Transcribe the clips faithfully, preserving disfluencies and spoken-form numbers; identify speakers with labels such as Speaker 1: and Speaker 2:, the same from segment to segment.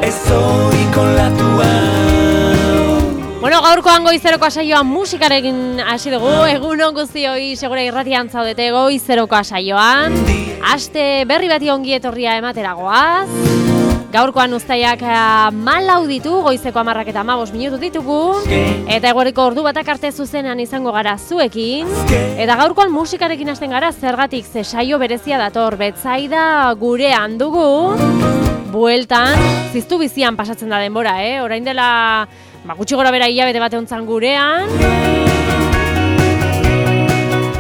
Speaker 1: ezoiko latua.
Speaker 2: Bueno, gaurkoan goizerokoa saioa musikarekin hasi dugu. Egunon guztioi segura irratian zaudete goizerokoa saioan. Aste berri bati ongi etorria ematera goaz. Gaurkoan uztaiak malau ditu, goizeko hamarrak eta hamabost minutu ditugu. Eta eguerriko ordu batak arte zuzenean izango gara zuekin. Eta gaurkoan musikarekin hasten gara, zergatik ze saio berezia dator. Betsaida gurean dugu. Bueltan, ziztu bizian pasatzen da denbora, eh? Orain dela, ba, gutxi gora bera hilabete bate hontzan gurean.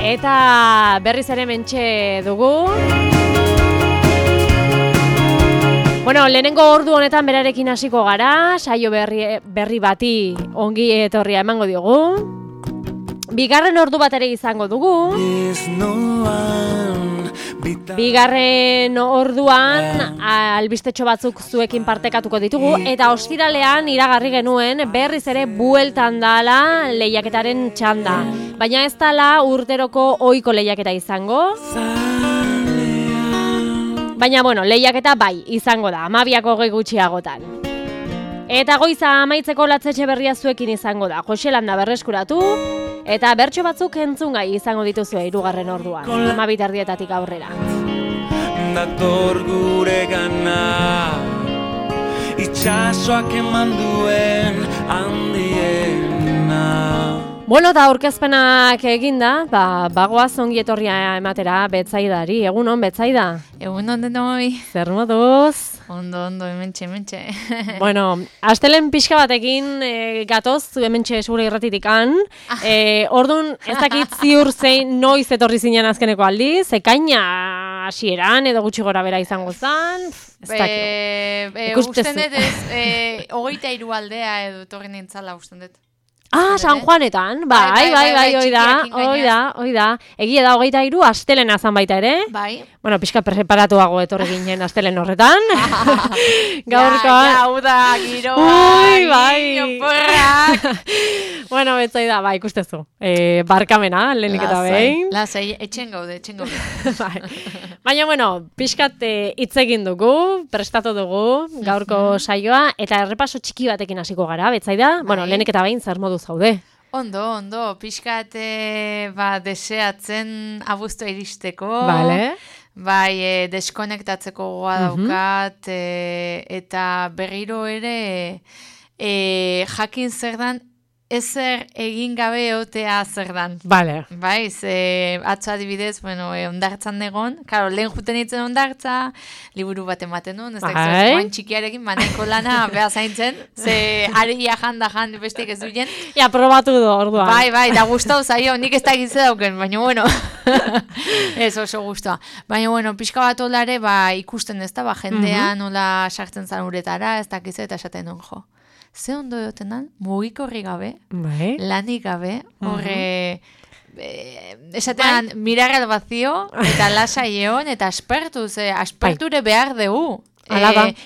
Speaker 2: Eta berriz ere mentxe dugu. Bueno, lehenengo ordu honetan berarekin hasiko gara, saio berri, berri bati ongi etorria emango diogu. Bigarren ordu bat ere izango dugu. Bigarren orduan albistetxo batzuk zuekin partekatuko ditugu eta ostiralean iragarri genuen berriz ere bueltan dala lehiaketaren txanda. Baina ez dala urteroko ohiko lehiaketa izango. Baina, bueno, lehiaketa bai, izango da, hamabiak hogei gutxiagotan. Eta goiza amaitzeko latzetxe berria zuekin izango da, Joselanda berreskuratu, eta bertso batzuk entzungai izango dituzue hirugarren orduan, hamabi erdietatik aurrera.
Speaker 1: Dator gure gana, itxasoak eman duen handiena.
Speaker 2: Bueno, eta aurkezpenak eginda, ba, bagoaz ongi etorria ematera Betsaidari. Egunon, Betsaida?
Speaker 3: Egunon denoi.
Speaker 2: Zer moduz?
Speaker 3: Ondo, ondo, hementxe, hementxe.
Speaker 2: Bueno, astelen pixka batekin e, gatoz, hementxe segura irratitikan. E, Orduan, ez dakit ziur zein noiz etorri zinen azkeneko aldiz, ekaina hasieran edo gutxi gora bera izango zen. Ez
Speaker 3: dakit. Usten dut ez, hogeita hiru aldea edo etorri nintzala usten dut.
Speaker 2: Ah, San Juanetan, bai, bai, bai, oi da, oi da, oi da. Egia da, hogeita hiru astelena zan baita ere.
Speaker 3: Bai.
Speaker 2: Bueno, pixka preparatuago etorri ginen astelen horretan. Gaurkoa.
Speaker 3: Ja, hau da, giroa,
Speaker 2: ui, bai.
Speaker 3: Porrak.
Speaker 2: Bueno, Betsaida, bai, ikustezu. E, barkamena, lehenik eta behin.
Speaker 3: Lasai, etxen gaude, etxen gaude.
Speaker 2: Bai. Baina, bueno, pixkat hitz egin dugu, prestatu dugu, gaurko saioa, eta errepaso txiki batekin hasiko gara, Betsaida. Bueno, lehenik eta behin, zer modu zaude?
Speaker 3: Ondo, ondo, pixkat ba, deseatzen abuztua iristeko.
Speaker 2: Vale.
Speaker 3: Bai, e, deskonektatzeko goa daukat, e, eta berriro ere e, jakin zer dan, ezer egin gabe eotea zer dan.
Speaker 2: Vale.
Speaker 3: Bai, ze atzo adibidez, bueno, e, ondartzan egon, karo, lehen juten itzen ondartza, liburu bat ematen nuen, ez da, joan txikiarekin maneko lana beha zaintzen, ze aria janda jan bestik ez duien.
Speaker 2: Ja, probatu du orduan.
Speaker 3: Bai, bai, da gustau zaio, nik ez da egitze dauken, baina bueno, ez oso guztua. Baina bueno, pixka bat olare, ba, ikusten ez da, ba, jendean nola sartzen zan uretara, ez dakize eta esaten duen jo. Ze ondo egoten dan, mugikorri gabe,
Speaker 2: bai.
Speaker 3: Lanik gabe, horre, e, esatean, bai. Mirar al vacío, eta lasa egon, eta aspertu, ze asperture behar dugu. E,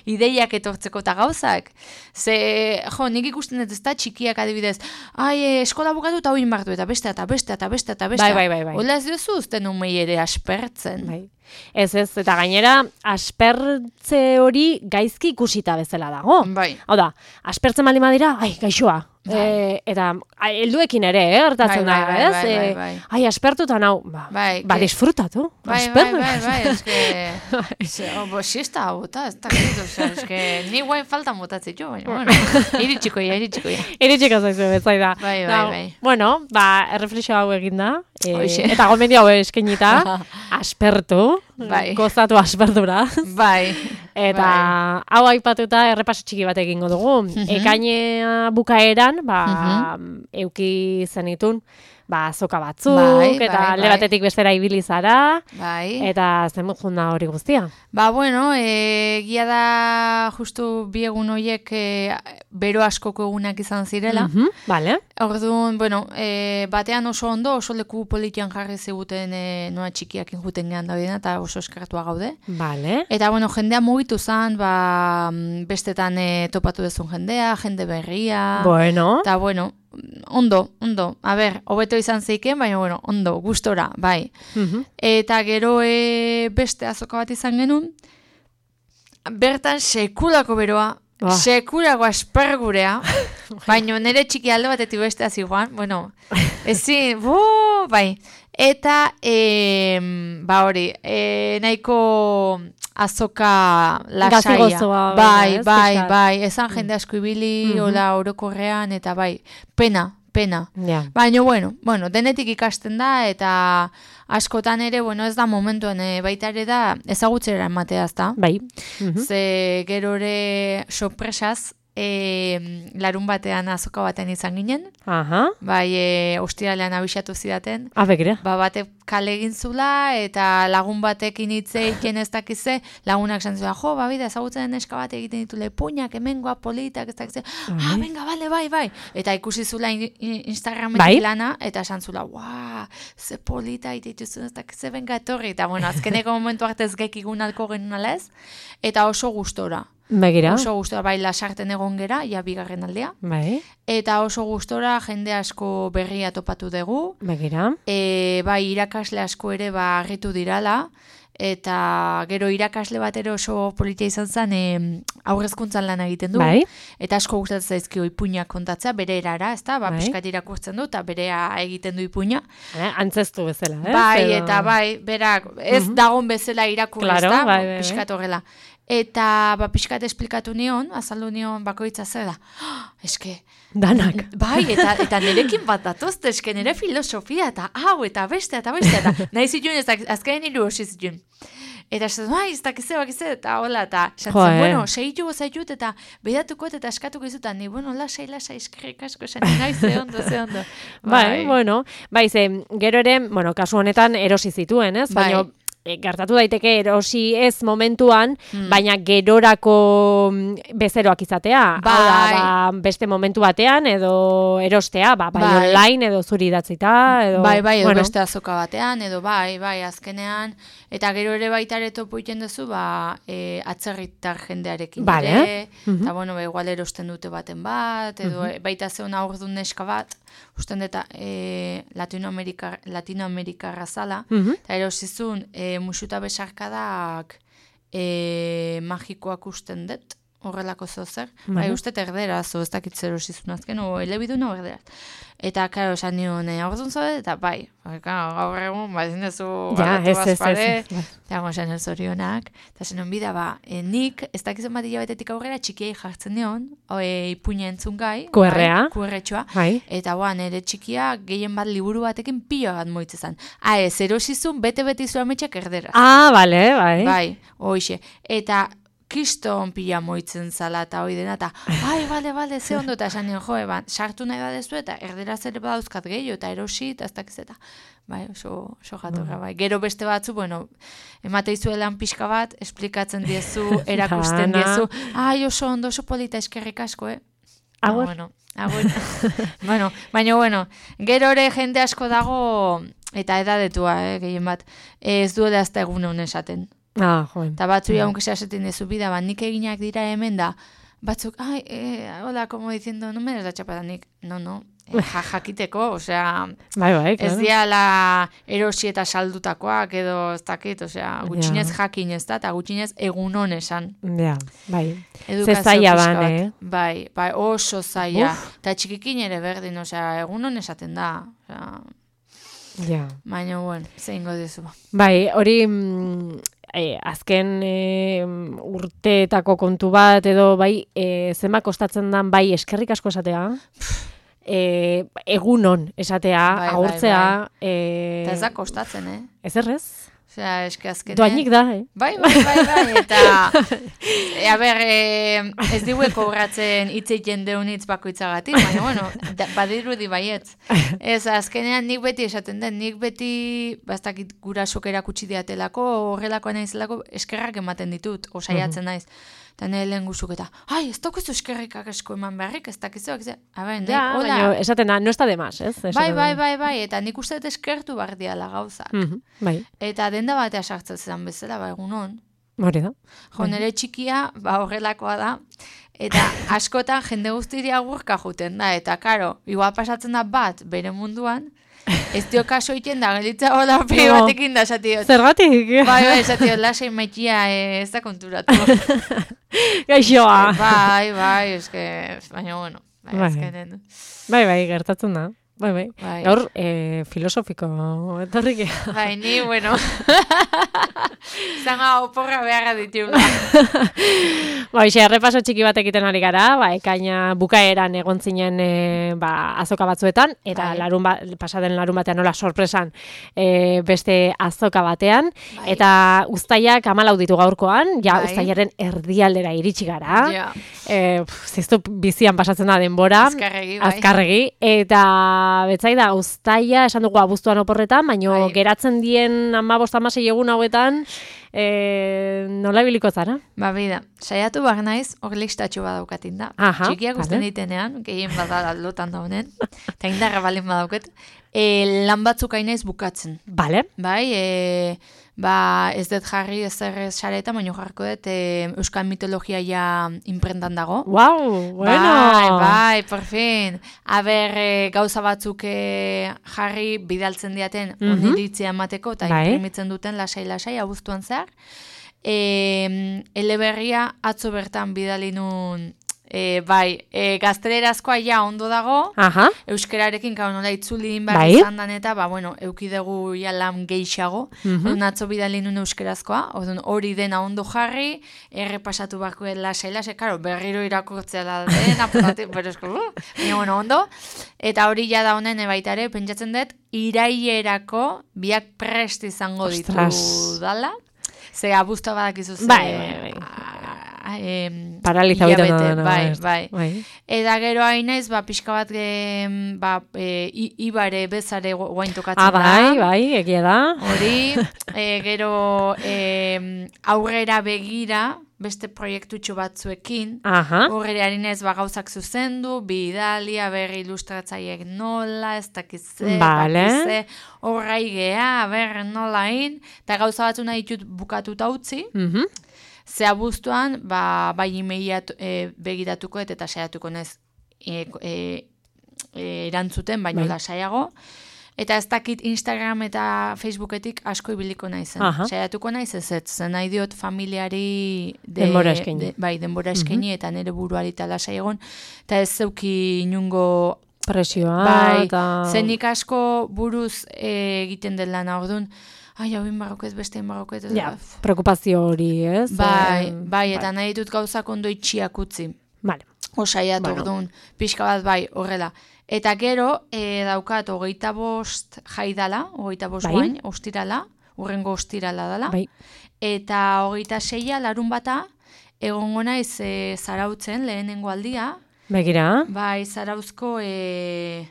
Speaker 3: ideiak etortzeko eta gauzak. Ze, jo, nik ikusten dut ez da txikiak adibidez, ai, eskola bukatu eta hoin bartu, eta beste, eta beste, eta beste, eta beste.
Speaker 2: Bai, bai, bai.
Speaker 3: Ola ez duzu uzten umei ere aspertzen.
Speaker 2: Bai. Ez ez, eta gainera, aspertze hori gaizki ikusita bezala dago.
Speaker 3: Bai.
Speaker 2: Hau da, aspertzen baldin badira, ai, gaixoa. E, eta helduekin ere, eh, gertatzen da,
Speaker 3: bai,
Speaker 2: ez?
Speaker 3: Bai, bai, bai.
Speaker 2: E, ai, aspertuta nau, ba,
Speaker 3: bai,
Speaker 2: ba disfrutatu.
Speaker 3: Bai, bai, bai, bai, ez que, bo, siesta bota, ez da, ez que, ni guain faltan botatzit jo, baina, bueno, iritsikoia, iritsikoia.
Speaker 2: Iritsiko zaizu, Betsaida.
Speaker 3: Bai, bai, bai.
Speaker 2: Bueno, ba, erreflexio hau eginda, e, eta gomendio hau eskenita, aspertu,
Speaker 3: bai.
Speaker 2: Gozatu aspertura.
Speaker 3: Bai.
Speaker 2: Eta bai. Hau aipatuta errepaso txiki bat egingo dugu. Uh-huh. Ekainea bukaeran, ba, uh-huh. euki zenitun, ba, azoka batzuk,
Speaker 3: bai,
Speaker 2: eta
Speaker 3: bai,
Speaker 2: alde batetik bestera ibili zara,
Speaker 3: bai.
Speaker 2: Eta zen junda hori guztia.
Speaker 3: Ba, bueno, e, gia da justu bi egun horiek e, bero askoko egunak izan zirela.
Speaker 2: Uh-huh. Vale.
Speaker 3: Orduan, bueno, e, batean oso ondo, oso leku politian jarri ziguten e, noa txikiakin juten gehan daudena, eta oso eskertua gaude.
Speaker 2: Vale.
Speaker 3: Eta, bueno, jendea mugitu zan, ba, bestetan e, topatu dezun jendea, jende berria.
Speaker 2: Bueno.
Speaker 3: Eta, bueno, ondo, ondo. A ber, hobeto izan zeiken, baina, bueno, ondo, gustora, bai.
Speaker 2: Uh-huh.
Speaker 3: Eta gero e, beste azoka bat izan genuen, bertan sekulako beroa,
Speaker 2: Oh.
Speaker 3: Sekurago aspergurea, baina nire txiki alde batetik beste ziguan, bueno, ezin, bu, bai. Eta, e, ba hori, e, nahiko azoka lasaia.
Speaker 2: Gazigozoa.
Speaker 3: Bai,
Speaker 2: ez,
Speaker 3: bai,
Speaker 2: pixkat.
Speaker 3: bai, esan jende asko ibili,
Speaker 2: Mhm.
Speaker 3: hola orokorrean, eta bai, pena, pena.
Speaker 2: Ja.
Speaker 3: Baina, bueno, bueno, denetik ikasten da, eta askotan ere, bueno, ez da momentuen, e, baita ere da, ezagutzera ematea, ez da?
Speaker 2: Bai. Mhm.
Speaker 3: Ze gero ere sorpresaz, e, larun batean azoka baten izan ginen,
Speaker 2: Aha.
Speaker 3: bai, e, ostiralean abixatu zidaten,
Speaker 2: A, begira.
Speaker 3: ba, bate kale egin zula, eta lagun batekin hitz egiten ez dakize, lagunak esan zuen, jo, ba, bida, ezagutzen neska bat egiten ditu lepuñak, hemengoa politak, ez dakize, ah, venga, bale, bai, bai, eta ikusi zula in, in, Instagrametik
Speaker 2: Bai.
Speaker 3: lana, eta esan zula, guau, ze polita egiten dituzun, ez dakize, venga, etorri, eta bueno, azkeneko momentu arte ez gekigun alko genuen alez, eta oso gustora.
Speaker 2: Begira.
Speaker 3: Oso gustora, bai, lasarten egon gera, ja bigarren aldea.
Speaker 2: Bai.
Speaker 3: Eta oso gustora jende asko berria topatu dugu.
Speaker 2: Begira.
Speaker 3: E, bai, irakasle asko ere ba harritu dirala. Eta gero irakasle bat ere oso politia izan zen e, aurrezkuntzan lan egiten du.
Speaker 2: Bai.
Speaker 3: Eta asko gustatzen zaizkio ipuinak kontatzea, bere erara, ezta? Ba,
Speaker 2: Bai.
Speaker 3: pixkat irakurtzen du, eta berea egiten du ipuina.
Speaker 2: Eh, antzestu bezala, ez?
Speaker 3: Bai,
Speaker 2: Edo-
Speaker 3: eta bai, berak, ez
Speaker 2: Mhm.
Speaker 3: dagon bezala irakurri,
Speaker 2: Claro,
Speaker 3: ezta?
Speaker 2: bai, bai, bai.
Speaker 3: Pixkat horrela. Eta, ba, pixkat esplikatu nion, azaldu nion bakoitza zer da. Oh, eske,
Speaker 2: Danak.
Speaker 3: bai, eta, eta nirekin bat datozte, eske nire filosofia, eta hau, eta beste, eta beste, eta nahi zituen, ez dak- azken hiru hosi zituen. Eta esan, bai, ez dakize, bakize, eta hola, eta esan
Speaker 2: Jo,
Speaker 3: zen,
Speaker 2: eh.
Speaker 3: bueno, segitu gozaitut, eta bedatuko eta eskatuko izutan, ni, bueno, lasai, lasai, eskerrik asko, esan, nahi, ze ondo, ze ondo.
Speaker 2: Bai, bueno, bai, ze, gero ere, bueno, kasu honetan erosi zituen, ez?
Speaker 3: Bai.
Speaker 2: Baina, e, gertatu daiteke erosi ez momentuan,
Speaker 3: Hmm.
Speaker 2: baina gerorako mm, bezeroak izatea. Hau da,
Speaker 3: Bai.
Speaker 2: ba, beste momentu batean, edo erostea, ba, bai,
Speaker 3: Bai.
Speaker 2: online, edo zuri idatzita, edo...
Speaker 3: Bai, bai, edo
Speaker 2: bueno,
Speaker 3: beste azoka batean, edo bai, bai, azkenean, eta gero ere baita ere topo iten duzu, ba, e, atzerritar jendearekin
Speaker 2: Vale.
Speaker 3: ere,
Speaker 2: Mhm.
Speaker 3: eta bueno, ba, igual erosten dute baten bat, edo
Speaker 2: Mhm.
Speaker 3: baita zeuna aurdun neska bat, usten deta e, Latinoamerika, Latinoamerikarra zala,
Speaker 2: mhm.
Speaker 3: eta erosizun, e, musuta besarkadak e, magikoak usten dut, horrelako zozer.
Speaker 2: Vale.
Speaker 3: Bai, uste erderaz, o ez dakit zer osizun azken, o elebiduna o erderaz. Eta, karo, esan nion, e, aurrezun zaude, eta bai, bai, karo, gaur egun, ba, ezin duzu,
Speaker 2: Ja,
Speaker 3: aldatu
Speaker 2: ez, ez, ez,
Speaker 3: bazpare,
Speaker 2: ez, bai.
Speaker 3: eta gau esan zorionak, eta zen bida, ba, e, nik, ez dakizun bat hilabetetik aurrera, txikiei jartzen nion, o, e, ipuina entzun gai,
Speaker 2: Q R-a.
Speaker 3: bai, Q R-txoa,
Speaker 2: Bai.
Speaker 3: eta ba, nire txikia gehien bat liburu batekin pila bat moitzezan. Ah, ez, erosizun, bete-bete izu ametxak erdera.
Speaker 2: Ah, bale, bai.
Speaker 3: Bai, hoixe. Eta kiston pila moitzen zala eta hoi dena, eta bai, bale, bale, ze ondo, eta esan nion, jo, eban, sartu nahi badezu, eta erderaz ere badauzkat gehiago, eta erosi, eta ez dakiz eta, bai, oso, oso jatorra, bai. Gero beste batzu, bueno, emate izuelan pixka bat, esplikatzen diezu, erakusten
Speaker 2: Dana.
Speaker 3: diezu, ai, oso ondo, oso polita eskerrik asko, eh?
Speaker 2: Agur.
Speaker 3: Ah, bueno, agur. bueno, baina, bueno, gero ere jende asko dago, eta edadetua, eh, gehien bat, ez duela azta egun honen esaten.
Speaker 2: Ah, joen.
Speaker 3: Eta batzu jaun kese asetin dezu bida, ba, nik eginak dira hemen da, batzuk, ai, eh, hola, como diciendo, no me des la chapada nik, no, no, eh, ja, jakiteko, osea,
Speaker 2: Bai, bai,
Speaker 3: ez
Speaker 2: claro.
Speaker 3: diala erosi eta saldutakoak, edo ez dakit, osea, gutxinez jakin ez da, eta gutxinez egun hon esan.
Speaker 2: Ja, bai.
Speaker 3: Edukazio
Speaker 2: zaila
Speaker 3: pixka
Speaker 2: ban,
Speaker 3: bat.
Speaker 2: eh?
Speaker 3: Bai, bai, oso zaila.
Speaker 2: Uf.
Speaker 3: Eta txikikin ere berdin, osea, egun hon esaten da. Osea,
Speaker 2: Ja.
Speaker 3: baina, bueno, zein godizu.
Speaker 2: Bai, hori mm, e, azken e, urteetako kontu bat edo bai e, zenba kostatzen dan bai eskerrik asko esatea, e, egunon esatea,
Speaker 3: Bai, bai,
Speaker 2: agurtzea,
Speaker 3: Eta ez da
Speaker 2: e,
Speaker 3: kostatzen, eh?
Speaker 2: ez errez?
Speaker 3: Osea, eske azkenean...
Speaker 2: Doainik da, eh?
Speaker 3: Bai, bai, bai, bai, eta... e, a ber, e, ez digue kobratzen hitzeiten deun hitz bakoitzagatik, baina, bueno, da, badirudi baietz. Ez, azkenean nik beti esaten den, nik beti, bastakit gurasok erakutsi diatelako, horrelakoa naizelako, eskerrak ematen ditut, osaiatzen naiz. Eta nire lehen guzuk eta, ai, ez daukazu eskerrikak asko eman beharrik, ez dakizu, ez a ber,
Speaker 2: Ja,
Speaker 3: hola.
Speaker 2: baina esaten da, no está de más, ez?
Speaker 3: Bai,
Speaker 2: Esaten
Speaker 3: bai,
Speaker 2: da.
Speaker 3: bai, bai, eta nik uste dut eskertu behar diala gauzak.
Speaker 2: Mhm, bai,
Speaker 3: Eta denda batea sartzen zen bezala, ba, egunon.
Speaker 2: hori da.
Speaker 3: Jo, nire txikia, ba, horrelakoa da, eta askotan jende guztiri agurka juten da, eta karo, igual pasatzen da bat bere munduan, ez dio kaso iten da, gelitza hola pegi
Speaker 2: No.
Speaker 3: batekin da, esatiot.
Speaker 2: Zergatik?
Speaker 3: Bai, bai, esatiot, lasai maitia eh, ez da konturatu.
Speaker 2: Gaixoa.
Speaker 3: Bai, bai, eske, baina bueno, bai,
Speaker 2: Bai.
Speaker 3: ezkenen.
Speaker 2: Bai, bai, gertatzen da. Bai, bai.
Speaker 3: Bai.
Speaker 2: Gaur, eh, filosofiko etorrik.
Speaker 3: Bai, ni, bueno, zanga oporra beharra ditugula.
Speaker 2: Ba, ixe, errepaso txiki bat egiten ari gara, ba, ekaina bukaeran egon zinen e, ba, azoka batzuetan, eta
Speaker 3: Bai.
Speaker 2: larun ba, pasaden larun batean nola sorpresan e, beste azoka batean,
Speaker 3: Bai.
Speaker 2: eta uztaiak hamalau ditu gaurkoan, ja
Speaker 3: Bai.
Speaker 2: uztailaren erdialdera iritsi gara,
Speaker 3: Ja.
Speaker 2: e, pf, ziztu bizian pasatzen da denbora,
Speaker 3: Azkarregi, bai.
Speaker 2: azkarregi, eta betzai da, uztaia, esan dugu abuztuan oporretan, baino
Speaker 3: Bai.
Speaker 2: geratzen dien hamabost hamasei egun hauetan, e, nola ibiliko zara?
Speaker 3: Ba, bida, saiatu behar naiz, hor listatxo badaukatin da.
Speaker 2: Aha,
Speaker 3: Txikiak usten
Speaker 2: vale.
Speaker 3: ditenean, gehien bada lotan daunen, eta indarra balen badauket, e, lan batzuk hainaiz bukatzen.
Speaker 2: Bale.
Speaker 3: Bai, e, ba, ez dut jarri ez zer sareta, baina jarriko dut e, Euskal Mitologia ja imprentan dago.
Speaker 2: Wow, bueno.
Speaker 3: Bai, bai, por fin. A ber, e, gauza batzuk e, jarri bidaltzen diaten
Speaker 2: Mhm.
Speaker 3: oniritzia emateko, eta
Speaker 2: Bai.
Speaker 3: imprimitzen duten lasai-lasai, abuztuan zehar. E, eleberria atzo bertan bidali nun, e, bai, e, gaztelerazkoa ja ondo dago,
Speaker 2: Aha,
Speaker 3: euskerarekin gau nola itzuli behar
Speaker 2: Bai.
Speaker 3: izan dan eta, ba, bueno, eukidegu ja lan gehiago,
Speaker 2: Mhm.
Speaker 3: orduan atzo bidali nun euskerazkoa, orduan hori dena ondo jarri, errepasatu barko lasai lasai, karo, berriro irakurtzea da den, apurati, pero esko, uh, baina, bueno, ondo, eta hori ja da honen baitare, pentsatzen dut, irailerako biak prest izango ditu
Speaker 2: Ostras.
Speaker 3: dala, ze abuzta badakizu ze,
Speaker 2: Bai, bai, bai.
Speaker 3: a- em,
Speaker 2: paraliza egiten
Speaker 3: hilabete,
Speaker 2: da.
Speaker 3: bai, bai.
Speaker 2: bai.
Speaker 3: Eta gero hain naiz, ba, pixka bat, e, ba, e, i- ibare bezare gu- guain tokatzen
Speaker 2: Ah,
Speaker 3: da.
Speaker 2: bai, bai, egia da.
Speaker 3: Hori, e, gero e, aurrera begira, beste proiektutxo batzuekin,
Speaker 2: Aha,
Speaker 3: horre ari naiz ba, gauzak zuzendu, bidalia, berri ilustratzaiek nola, ez dakize,
Speaker 2: Bale.
Speaker 3: bakize, horrai gea, ber nola hin, eta gauza batzu nahi ditut bukatuta utzi,
Speaker 2: mhm,
Speaker 3: ze abuztuan, ba, bai imeia e, begiratuko et, eta saiatuko naiz e, e, e, erantzuten, baina
Speaker 2: Bai.
Speaker 3: lasaiago. Eta ez dakit Instagram eta Facebooketik asko ibiliko naizen.
Speaker 2: Aha.
Speaker 3: Saiatuko naiz ez ez, zen nahi diot familiari de,
Speaker 2: Denbora eskaini.
Speaker 3: de- bai, denbora eskaini eta nire buruari eta lasai egon. Eta ez zeuki inungo
Speaker 2: presioa,
Speaker 3: bai,
Speaker 2: eta...
Speaker 3: zenik asko buruz e, egiten den lana, orduan, ai, hau inbarroket, beste inbarroket, eta
Speaker 2: Ja, preokupazio hori, ez?
Speaker 3: bai,
Speaker 2: Eh,
Speaker 3: bai, eta nahi ditut gauzak ondo itxiak utzi.
Speaker 2: Vale.
Speaker 3: Osaiat
Speaker 2: Bueno.
Speaker 3: orduan, pixka bat bai, horrela. Eta gero, e, daukat, hogeita bost jaidala, hogeita bost
Speaker 2: Bai.
Speaker 3: guain, ostirala, urrengo ostirala dala.
Speaker 2: Bai.
Speaker 3: Eta hogeita seia, larun bata, egongo naiz e, zarautzen, lehenengo aldia,
Speaker 2: Begira.
Speaker 3: bai, zarauzko e,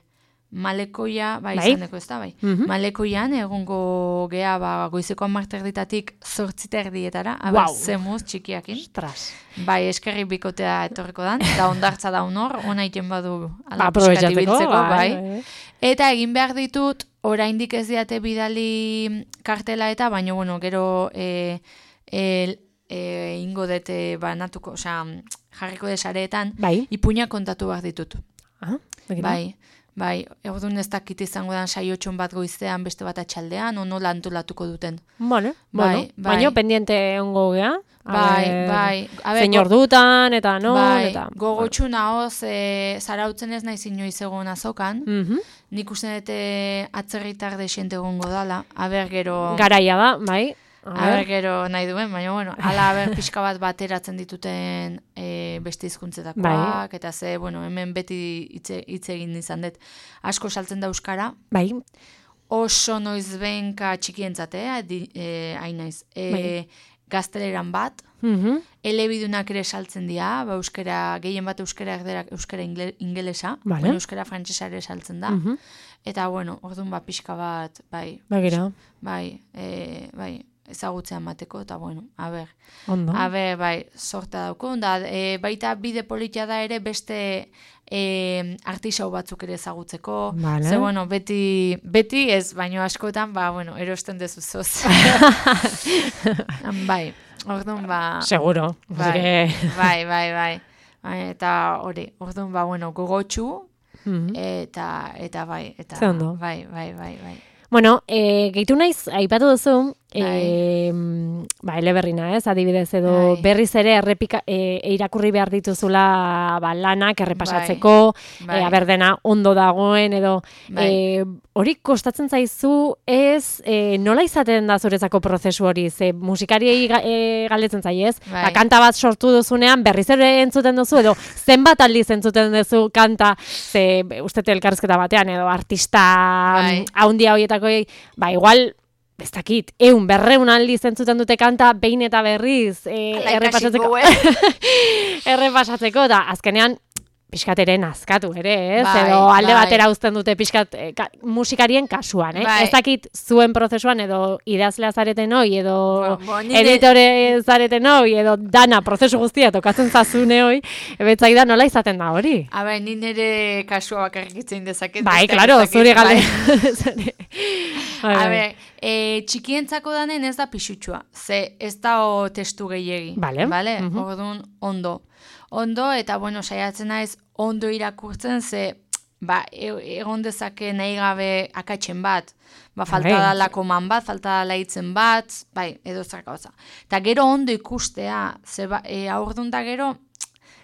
Speaker 3: malekoia, bai,
Speaker 2: Bai.
Speaker 3: izaneko ez da, bai.
Speaker 2: Mhm.
Speaker 3: Malekoian, egongo gea, ba, goizeko amarterditatik zortziterdietara,
Speaker 2: Guau.
Speaker 3: aber, zemuz txikiakin.
Speaker 2: Ostras.
Speaker 3: Bai, eskerri bikotea etorriko dan, da ondartza da honor, ona iten badu
Speaker 2: Ba,
Speaker 3: ala
Speaker 2: aprobetxatzeko,
Speaker 3: ibiltzeko,
Speaker 2: bai,
Speaker 3: bai.
Speaker 2: bai, bai.
Speaker 3: Eta egin behar ditut, oraindik ez diate bidali kartela eta, baina, bueno, gero e, e, e, ingo dete banatuko, osea, jarriko desareetan,
Speaker 2: Bai.
Speaker 3: ipuña kontatu behar ditut.
Speaker 2: Ah, begira.
Speaker 3: Bai, bai, egun ez dakit izango dan saiotxon bat goizean, beste bat atxaldean, ono lantolatuko duten.
Speaker 2: Vale,
Speaker 3: Bai,
Speaker 2: bueno.
Speaker 3: bai.
Speaker 2: Baina pendiente ongo gea. A
Speaker 3: Bai,
Speaker 2: ber,
Speaker 3: bai. A ber,
Speaker 2: Zein
Speaker 3: go-
Speaker 2: ordutan, eta non,
Speaker 3: bai,
Speaker 2: eta...
Speaker 3: gogotsu nahoz, e, zarautzen ez naiz inoiz egon azokan,
Speaker 2: Mhm.
Speaker 3: nik uste dute atzerritar desente egongo dala, aber gero,
Speaker 2: Garaia da, bai. A
Speaker 3: aber
Speaker 2: ber.
Speaker 3: gero nahi duen, baina bueno, ala aber pixka bat bateratzen dituten e, beste hizkuntzetakoak,
Speaker 2: Bai.
Speaker 3: eta ze, bueno, hemen beti hitze hitz egin izan dut, asko saltzen da euskara,
Speaker 2: Bai,
Speaker 3: oso noizbenka txikientzat, eh, di- eh, hain naiz, e,
Speaker 2: Bai.
Speaker 3: gazteleran bat,
Speaker 2: mhm.
Speaker 3: elebidunak ere saltzen dira, ba, euskera, gehien bat euskera erderak euskera ingle, ingelesa,
Speaker 2: Vale.
Speaker 3: baina euskera frantsesa ere saltzen da.
Speaker 2: Mhm.
Speaker 3: Eta, bueno, orduan ba, pixka bat, bai,
Speaker 2: Begira,
Speaker 3: bai, e, bai, ezagutzea emateko, eta, bueno, a ber,
Speaker 2: ondo.
Speaker 3: a ber, bai, sorta daukun, da, e, baita bide politia da ere beste e, artisau batzuk ere ezagutzeko,
Speaker 2: Vale.
Speaker 3: ze, bueno, beti, beti ez, baino askotan, ba, bueno, erosten dezuzoz. bai, orduan, ba,
Speaker 2: Seguro.
Speaker 3: Bai,
Speaker 2: Bai.
Speaker 3: bai, bai, bai. Bai, eta hori, orduan, ba, bueno, gogotxu,
Speaker 2: Mhm.
Speaker 3: eta, eta bai, eta
Speaker 2: Ze ondo.
Speaker 3: bai, bai, bai, bai.
Speaker 2: Bueno, e, gehitu naiz, aipatu duzu,
Speaker 3: Bai.
Speaker 2: e, ba, eleberrina, ez, adibidez, edo
Speaker 3: Bai.
Speaker 2: berriz ere errepika, e, irakurri behar dituzula ba, lanak errepasatzeko,
Speaker 3: Bai.
Speaker 2: e, aber dena ondo dagoen, edo
Speaker 3: Bai.
Speaker 2: e, hori kostatzen zaizu, ez, e, nola izaten da zuretzako prozesu hori, ze musikariei ga, e, galdetzen zai, ez?
Speaker 3: Bai.
Speaker 2: Ba, kanta bat sortu duzunean, berriz ere entzuten duzu, edo zenbat aldiz entzuten duzu kanta, ze uste elkarrizketa batean, edo artista
Speaker 3: Bai.
Speaker 2: haundia horietako, ba, igual, ez dakit, eun, berreun aldiz entzuten dute kanta, behin eta berriz, e,
Speaker 3: Hala
Speaker 2: errepasatzeko,
Speaker 3: ikasiko, eh?
Speaker 2: errepasatzeko, da, azkenean, pixkat ere nazkatu ere, ez?
Speaker 3: Bai,
Speaker 2: edo alde
Speaker 3: bai.
Speaker 2: batera uzten dute pixkat e, ka, musikarien kasuan, eh?
Speaker 3: Bai.
Speaker 2: Ez dakit zuen prozesuan, edo idazlea zareten hoi, edo
Speaker 3: Bo- bo, nire-
Speaker 2: editore zareten hoi, edo dana prozesu guztia tokatzen zazune hoi, ebetzai da nola izaten da hori?
Speaker 3: A ber, ni nire kasua bakarrik itzein dezaket.
Speaker 2: Bai,
Speaker 3: besteak
Speaker 2: claro,
Speaker 3: ez dakit,
Speaker 2: zure gale.
Speaker 3: bai.
Speaker 2: Bai,
Speaker 3: A
Speaker 2: bai.
Speaker 3: ber, e, txikientzako danen ez da pixutsua, ze ez da o testu gehiegi.
Speaker 2: Vale.
Speaker 3: Vale?
Speaker 2: Mhm.
Speaker 3: Orduan, ondo. Ondo, eta bueno, saiatzen naiz ondo irakurtzen, ze ba, e- egon dezake nahi gabe akatsen bat. Ba, falta
Speaker 2: Bai.
Speaker 3: da lakoman bat, falta da laitzen bat, bai, edo zer gauza. Eta gero ondo ikustea, ze ba, e, aurdun da gero,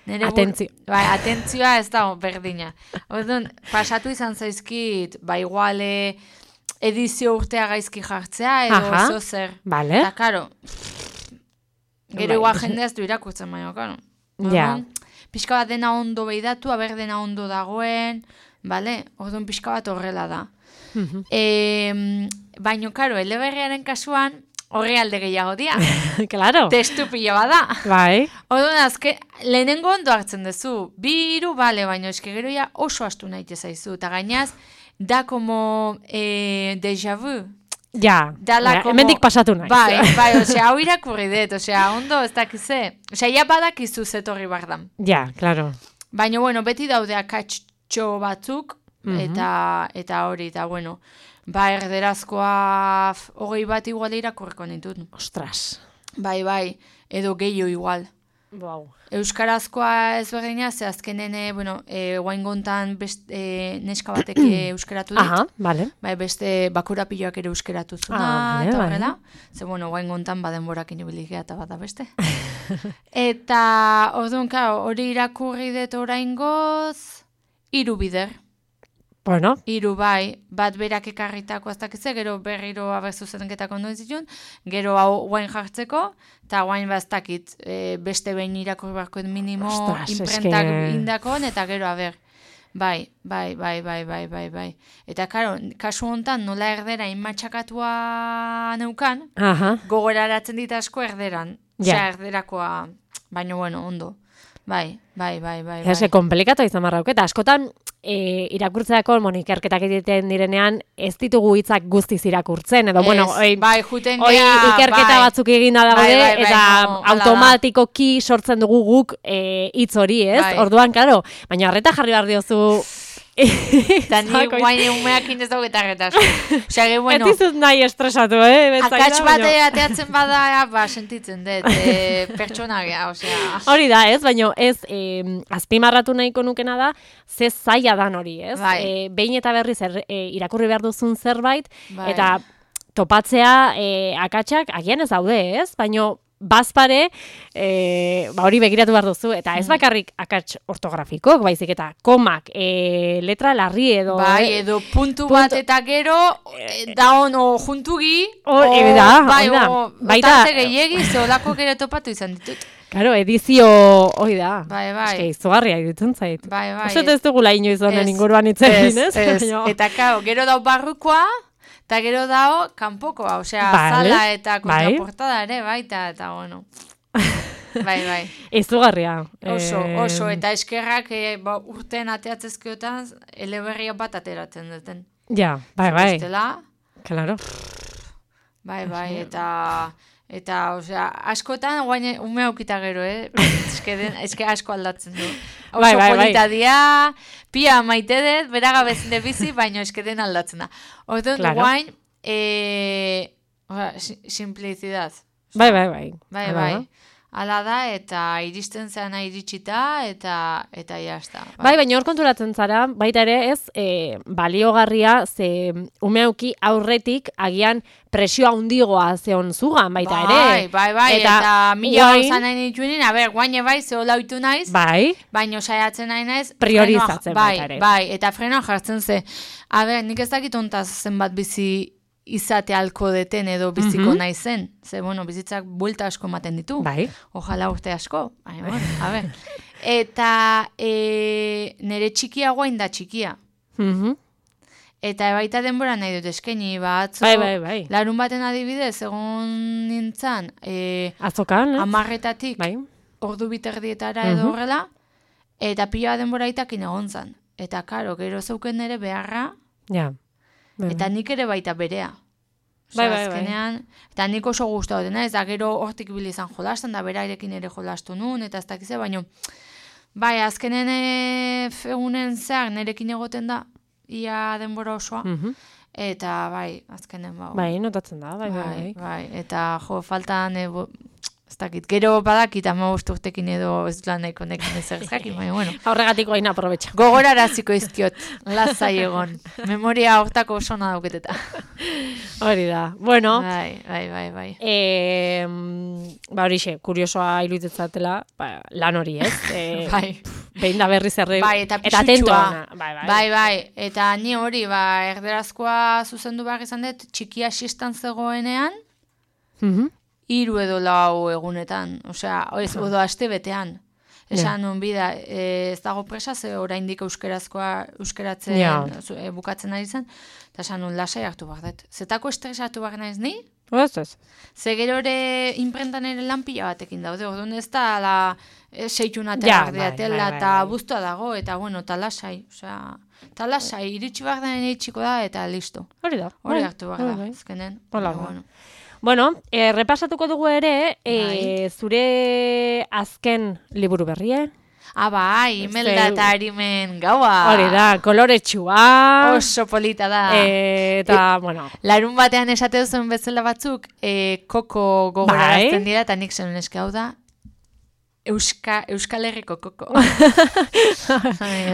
Speaker 3: nire bur-
Speaker 2: Atentzio.
Speaker 3: Bai, atentzioa ez da berdina. Orduan, pasatu izan zaizkit, ba, iguale edizio urtea gaizki jartzea, edo
Speaker 2: Aha.
Speaker 3: zo zer.
Speaker 2: Vale.
Speaker 3: Eta, karo, gero
Speaker 2: Bai.
Speaker 3: igual jendea ez du irakurtzen, baina, karo.
Speaker 2: Ja.
Speaker 3: Orduan, pixka bat dena ondo behidatu, aber dena ondo dagoen, bale? Orduan pixka bat horrela da.
Speaker 2: Mhm.
Speaker 3: E, baina, karo, eleberriaren kasuan, horri alde gehiago dia.
Speaker 2: Claro.
Speaker 3: Testu pila bada.
Speaker 2: Bai.
Speaker 3: Orduan, azke, lehenengo ondo hartzen duzu. Bi hiru bale, baina eske gero ja oso astu nahi zaizu. Eta gainaz, da como eh, déjà vu.
Speaker 2: Ja.
Speaker 3: Dala
Speaker 2: Baina,
Speaker 3: como-
Speaker 2: hemendik pasatu naiz.
Speaker 3: Bai, bai, osea, hau irakurri dut, osea, ondo ez dakize. Osea, ja badakizu zetorri bardan.
Speaker 2: Ja, claro.
Speaker 3: Baina, bueno, beti daude akatxo batzuk,
Speaker 2: Mhm.
Speaker 3: eta eta hori, eta bueno, ba, erderazkoa f- hogei bat igual irakurriko nitut.
Speaker 2: Ostras.
Speaker 3: Bai, bai, edo gehiago igual.
Speaker 2: Wow.
Speaker 3: Euskarazkoa ez berdina, ze azkenen, eh, bueno, e, guaingontan best, e, neska batek eh, euskeratu dit.
Speaker 2: Aha, vale.
Speaker 3: Bai, beste bakorapiloak ere euskeratu zuna,
Speaker 2: Ah, vale,
Speaker 3: eta
Speaker 2: vale.
Speaker 3: horrela. Ze, bueno, guaingontan badenborak inibiligea eta bada beste. Eta, orduan, claro, hori irakurri dut oraingoz, hiru bider.
Speaker 2: Bueno,
Speaker 3: Hiru bai, bat berak ekarritako ez dakitze, gero berriro aber zuzenketako ondo zituen, gero hau guain jartzeko, eta guain ba ez dakit, e, beste behin irakurri beharko minimo
Speaker 2: Ostras,
Speaker 3: imprentak
Speaker 2: eske-
Speaker 3: indakon, eta gero aber. Bai, bai, bai, bai, bai, bai, bai. Eta karo, kasu hontan nola erdera inmatxakatua neukan,
Speaker 2: aha.
Speaker 3: gogoraratzen dit asko erderan.
Speaker 2: Ja.
Speaker 3: Osea, erderakoa, baina bueno, ondo. Bai, bai, bai, bai.
Speaker 2: Ja, eske
Speaker 3: bai.
Speaker 2: komplikatu izan barrauk, eta askotan e, irakurtzeako, bueno, ikerketak egiten direnean, ez ditugu hitzak guztiz irakurtzen, edo, bueno,
Speaker 3: Ez,
Speaker 2: oi,
Speaker 3: bai, juten
Speaker 2: hoi
Speaker 3: gea,
Speaker 2: ikerketa
Speaker 3: bai.
Speaker 2: batzuk eginda daude,
Speaker 3: Bai, bai, bai,
Speaker 2: eta
Speaker 3: no, hala da.
Speaker 2: automatikoki sortzen dugu guk e, hitz hori, ez?
Speaker 3: Bai.
Speaker 2: Orduan, karo, baina harreta jarri behar diozu...
Speaker 3: Eta ni
Speaker 2: Zako-
Speaker 3: guain umeakin ez dago eta retasko. Osea, ge, bueno,
Speaker 2: Ez dizut nahi estresatu, eh? Betzaida,
Speaker 3: akats bat
Speaker 2: baina-
Speaker 3: ateatzen bada, ba, sentitzen dut, e, pertsona gea, osea.
Speaker 2: Hori da, ez? Baina ez, eh, azpimarratu nahiko nukena da, ze zaila dan hori, ez?
Speaker 3: Bai.
Speaker 2: Eh, behin eta berriz er, eh, irakurri behar duzun zerbait,
Speaker 3: Bai.
Speaker 2: eta topatzea eh, akatsak agian ez daude, ez? Baina bazpare, eh, ba hori begiratu behar duzu, eta ez bakarrik akats ortografikok, baizik eta komak, eh, letra larri edo...
Speaker 3: Bai,
Speaker 2: eh,
Speaker 3: edo puntu,
Speaker 2: puntu-
Speaker 3: bat eta gero, e, da ono juntugi,
Speaker 2: Hor-
Speaker 3: o-
Speaker 2: e, da,
Speaker 3: bai,
Speaker 2: hori da.
Speaker 3: o,
Speaker 2: Baita-
Speaker 3: tarte gehiegi, ze olako gero topatu izan ditut.
Speaker 2: Claro, edizio hori da.
Speaker 3: Bai, bai.
Speaker 2: Eske izugarria iruditzen zait.
Speaker 3: Bai, bai.
Speaker 2: Uste dut ez dugula inoiz honen
Speaker 3: Ez,
Speaker 2: inguruan hitz egin, ez?
Speaker 3: ez.
Speaker 2: Baina-
Speaker 3: Eta kao, gero dau barrukoa, eta gero dao kanpokoa, osea,
Speaker 2: Vale,
Speaker 3: zala eta
Speaker 2: bai.
Speaker 3: kontraportada ere, baita, eta bueno. Bai, bai.
Speaker 2: Izugarria.
Speaker 3: Oso,
Speaker 2: Eh,
Speaker 3: oso, eta eskerrak e, ba, urten ateatzezkiotan eleberria bat ateratzen duten.
Speaker 2: Ja, bai, bai.
Speaker 3: Bestela,
Speaker 2: Claro.
Speaker 3: bai, bai, eta, eta, osea, askotan, guain ume aukita gero, eh? Eske, den, eske asko aldatzen du. Oso
Speaker 2: Bai, bai, bai.
Speaker 3: polita dia, pia maite dut, beraga bezinde bizi, baina eske den aldatzen da. Orduan,
Speaker 2: Claro.
Speaker 3: guain, e, osea, si- simplicidad.
Speaker 2: Bai, bai, bai.
Speaker 3: Bai,
Speaker 2: Hala
Speaker 3: bai.
Speaker 2: da.
Speaker 3: Ala da, eta iristen zeana iritsita, eta eta jazta.
Speaker 2: Bai, baina hor konturatzen zara, baita ere ez, e, baliogarria, ze umeuki aurretik agian presioa hundigoa zeon zugan, baita ere.
Speaker 3: Bai, bai, bai, eta, eta mila gauza nahi nituenin, a ber, guaine bai, zehola oitu naiz,
Speaker 2: bai,
Speaker 3: baina saiatzen nahi naiz,
Speaker 2: priorizatzen
Speaker 3: frenoa,
Speaker 2: baita ere.
Speaker 3: Bai, bai, eta frenoa jartzen ze. A ber, nik ez dakit ontaz zenbat bizi izate alko deten edo biziko
Speaker 2: Mhm.
Speaker 3: naizen. Ze, bueno, bizitzak buelta asko ematen ditu.
Speaker 2: Bai.
Speaker 3: Ojala urte asko. Bai, bueno, a ber. Eta e, nire txikia guain da txikia.
Speaker 2: Mhm.
Speaker 3: Eta baita denbora nahi dut eskaini, batzo,
Speaker 2: Bai, bai, bai.
Speaker 3: larun baten adibidez, egon nintzen, e,
Speaker 2: Azokan, eh?
Speaker 3: amarretatik,
Speaker 2: Bai.
Speaker 3: ordu biterdietara edo
Speaker 2: Mhm.
Speaker 3: horrela, eta pila denbora itakin egon zan. Eta karo, gero zeuken nire beharra,
Speaker 2: Ja. Bai,
Speaker 3: eta nik ere baita berea.
Speaker 2: Bai,
Speaker 3: Osea,
Speaker 2: bai, bai.
Speaker 3: azkenean, eta nik oso guztua dena, ez da gero hortik bili izan jolasten, da berarekin ere jolastu nun, eta ez dakize, baina, bai, azkenen e, egunen zehar nerekin egoten da, ia denbora osoa,
Speaker 2: Mhm.
Speaker 3: eta bai, azkenen bau.
Speaker 2: Bai, notatzen da, bai, bai,
Speaker 3: bai,
Speaker 2: bai.
Speaker 3: bai, eta jo, faltan, e, bo, ez dakit, gero badakit ama bost urtekin edo ez lan nahiko nekin ez jakin, baina, bueno.
Speaker 2: Aurregatiko hain aprobetxa.
Speaker 3: Gogoraraziko izkiot, lasai egon. Memoria hortako oso na dauketeta.
Speaker 2: Hori da. Bueno,
Speaker 3: Bai, bai, bai, bai.
Speaker 2: eh, ba horixe, kuriosoa iruditzatela, ba, lan hori, ez? Eh,
Speaker 3: Bai.
Speaker 2: Behin da berriz erre,
Speaker 3: Bai, eta
Speaker 2: eta atento
Speaker 3: pisutxua.
Speaker 2: ona. Bai, bai.
Speaker 3: Bai, bai, eta ni hori, ba, erderazkoa zuzendu behar izan dut, txikia xistan zegoenean,
Speaker 2: Mhm.
Speaker 3: hiru edo lau egunetan, osea, ez, odo aste betean. Esan nun bida, e, ez dago presa, ze oraindik euskerazkoa, euskeratzen
Speaker 2: Ja.
Speaker 3: zu- e, bukatzen ari zen, eta esan nun lasai hartu behar dut. Zetako estresatu behar naiz ni,
Speaker 2: Ez, ez.
Speaker 3: ze gero ere inprentan ere lan pila batekin daude, orduan ez da la, e, seitxunate
Speaker 2: Ja,
Speaker 3: behar
Speaker 2: bai,
Speaker 3: diatela,
Speaker 2: bai, bai,
Speaker 3: eta
Speaker 2: bai.
Speaker 3: buztua dago, eta bueno, eta lasai, osea, eta lasai, iritsi behar da iritsiko da, eta listo.
Speaker 2: Hori da.
Speaker 3: Hori
Speaker 2: Bai,
Speaker 3: hartu behar
Speaker 2: bai,
Speaker 3: da,
Speaker 2: bai.
Speaker 3: azkenen.
Speaker 2: Hola,
Speaker 3: baina,
Speaker 2: ba.
Speaker 3: bueno.
Speaker 2: Bueno, eh, repasatuko dugu ere, eh,
Speaker 3: Bai.
Speaker 2: zure azken liburu berrie.
Speaker 3: Ah, bai, Imelda
Speaker 2: Ze-
Speaker 3: eta Arimen gaua.
Speaker 2: Hori da, koloretsua.
Speaker 3: Oso polita da.
Speaker 2: Eh, eta, bueno,
Speaker 3: Larun batean esate duzuen bezala batzuk, e, koko gogorarazten
Speaker 2: Bai.
Speaker 3: dira, eta nik zen eske hau da, Euska, Euskal Herriko koko.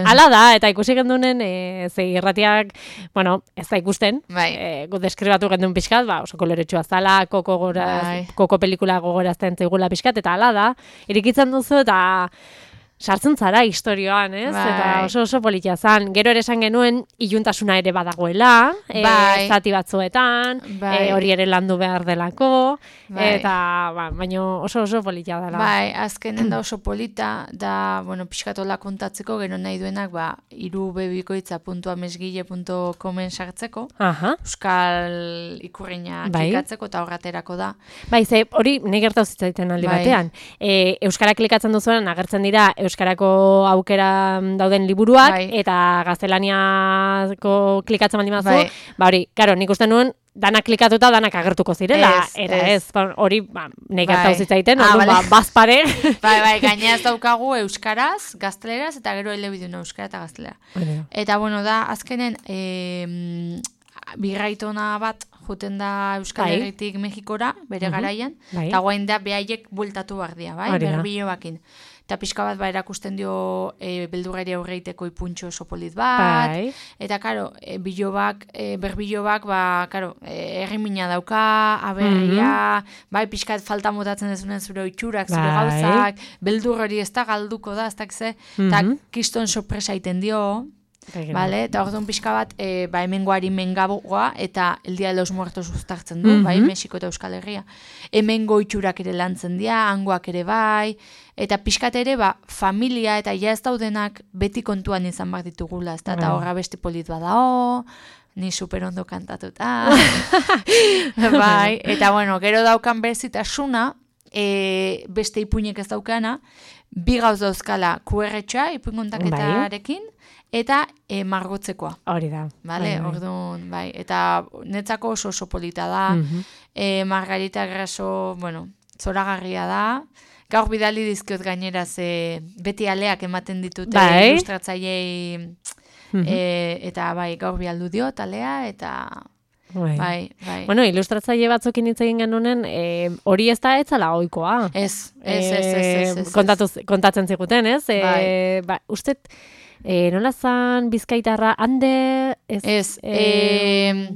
Speaker 2: hala da, eta ikusi gendunen, e, ze irratiak, bueno, ez da ikusten,
Speaker 3: Bai.
Speaker 2: e, gu deskribatu gendun pixkat, ba, oso koloretsua zala, koko, goraz,
Speaker 3: Bai.
Speaker 2: koko pelikula gogorazten zaigula pixkat, eta hala da, irikitzen duzu, eta sartzen zara historioan, ez?
Speaker 3: Bai.
Speaker 2: Eta oso oso politia zan. Gero ere esan genuen, iluntasuna ere badagoela, e,
Speaker 3: Bai.
Speaker 2: zati batzuetan,
Speaker 3: Bai.
Speaker 2: e, hori ere landu behar delako,
Speaker 3: Bai.
Speaker 2: eta, ba, baino oso oso politia dela.
Speaker 3: Bai, azkenen da oso polita, da, bueno, pixkatola kontatzeko, gero nahi duenak, ba, irubebikoitza puntu amesgile puntu comen sartzeko,
Speaker 2: Aha.
Speaker 3: Euskal ikurriña
Speaker 2: Bai.
Speaker 3: klikatzeko, eta horraterako da.
Speaker 2: Bai, ze hori nahi gertatu zitzaiten aldi
Speaker 3: Bai.
Speaker 2: batean. E, Euskara klikatzen duzuenan agertzen dira Euskarako aukera dauden liburuak,
Speaker 3: Bai.
Speaker 2: eta gaztelaniako klikatzen baldin bazu,
Speaker 3: Bai.
Speaker 2: ba hori, karo, nik uste nuen, danak klikatuta danak agertuko zirela,
Speaker 3: Ez,
Speaker 2: eta
Speaker 3: ez.
Speaker 2: ez, ba, hori, ba, nahi
Speaker 3: Bai.
Speaker 2: gertatu zitzaiten,
Speaker 3: Ah,
Speaker 2: orduan,
Speaker 3: bale.
Speaker 2: ba, bazpare.
Speaker 3: Bai, bai, gaina ez daukagu euskaraz, gazteleraz, eta gero elebidun euskara eta gaztelera. Eta, bueno, da, azkenen, e, birraitona bat juten da Euskal
Speaker 2: Bai.
Speaker 3: Herritik Mexikora, bere
Speaker 2: Mhm.
Speaker 3: garaian,
Speaker 2: Bai.
Speaker 3: eta guain da behaiek bultatu behar dira, bai,
Speaker 2: Hori da.
Speaker 3: berbilo bakin. Eta pixka bat ba erakusten dio e, beldurrari aurreiteko ipuntxo oso polit bat,
Speaker 2: Bai.
Speaker 3: eta karo, e, bilobak, e, berbilobak, ba, karo, e, errimina dauka, aberria, bai, pixkat falta motatzen dezunen zure oitxurak, zure
Speaker 2: Bai.
Speaker 3: gauzak, beldur hori ez da galduko da, ez dakize, eta
Speaker 2: Mhm.
Speaker 3: kiston sorpresa iten dio,
Speaker 2: Bai,
Speaker 3: vale? Eta orduan pixka bat, e, ba, hemengoari mengaboa, eta el Dia de los Muertos uztartzen du,
Speaker 2: Mhm.
Speaker 3: bai, Mexiko eta Euskal Herria. Hemengo itxurak ere lantzen dira, hangoak ere bai, eta pixkat ere, ba, familia eta ja ez daudenak beti kontuan izan behar ditugula, ez da, eta
Speaker 2: Bai.
Speaker 3: horra besti polit badao, ni super ondo kantatuta. Bai, eta bueno, gero daukan berezitasuna, e, beste ipuinek ez daukana, bi gauz dauzkala Q R txa, ipuin kontaketarekin, eta e, margotzekoa.
Speaker 2: Hori da.
Speaker 3: Vale,
Speaker 2: Bai, bai.
Speaker 3: orduan, bai, eta netzako oso oso polita da,
Speaker 2: Mhm.
Speaker 3: e, Margarita Graso, bueno, zoragarria da, gaur bidali dizkiot gainera ze beti aleak ematen ditute
Speaker 2: Bai.
Speaker 3: ilustratzailei
Speaker 2: Mhm.
Speaker 3: e, eta bai, gaur bialdu diot alea, eta bai, bai. bai.
Speaker 2: Bueno, ilustratzaile batzukin hitz egin genunen, e, hori ez da etzala ohikoa.
Speaker 3: Ez, ez, ez, ez, ez.
Speaker 2: Kontatu, kontatzen ziguten, ez? E,
Speaker 3: Bai.
Speaker 2: Ba, usted, e, nola zan bizkaitarra, hande... Ez,
Speaker 3: ez
Speaker 2: e,
Speaker 3: e,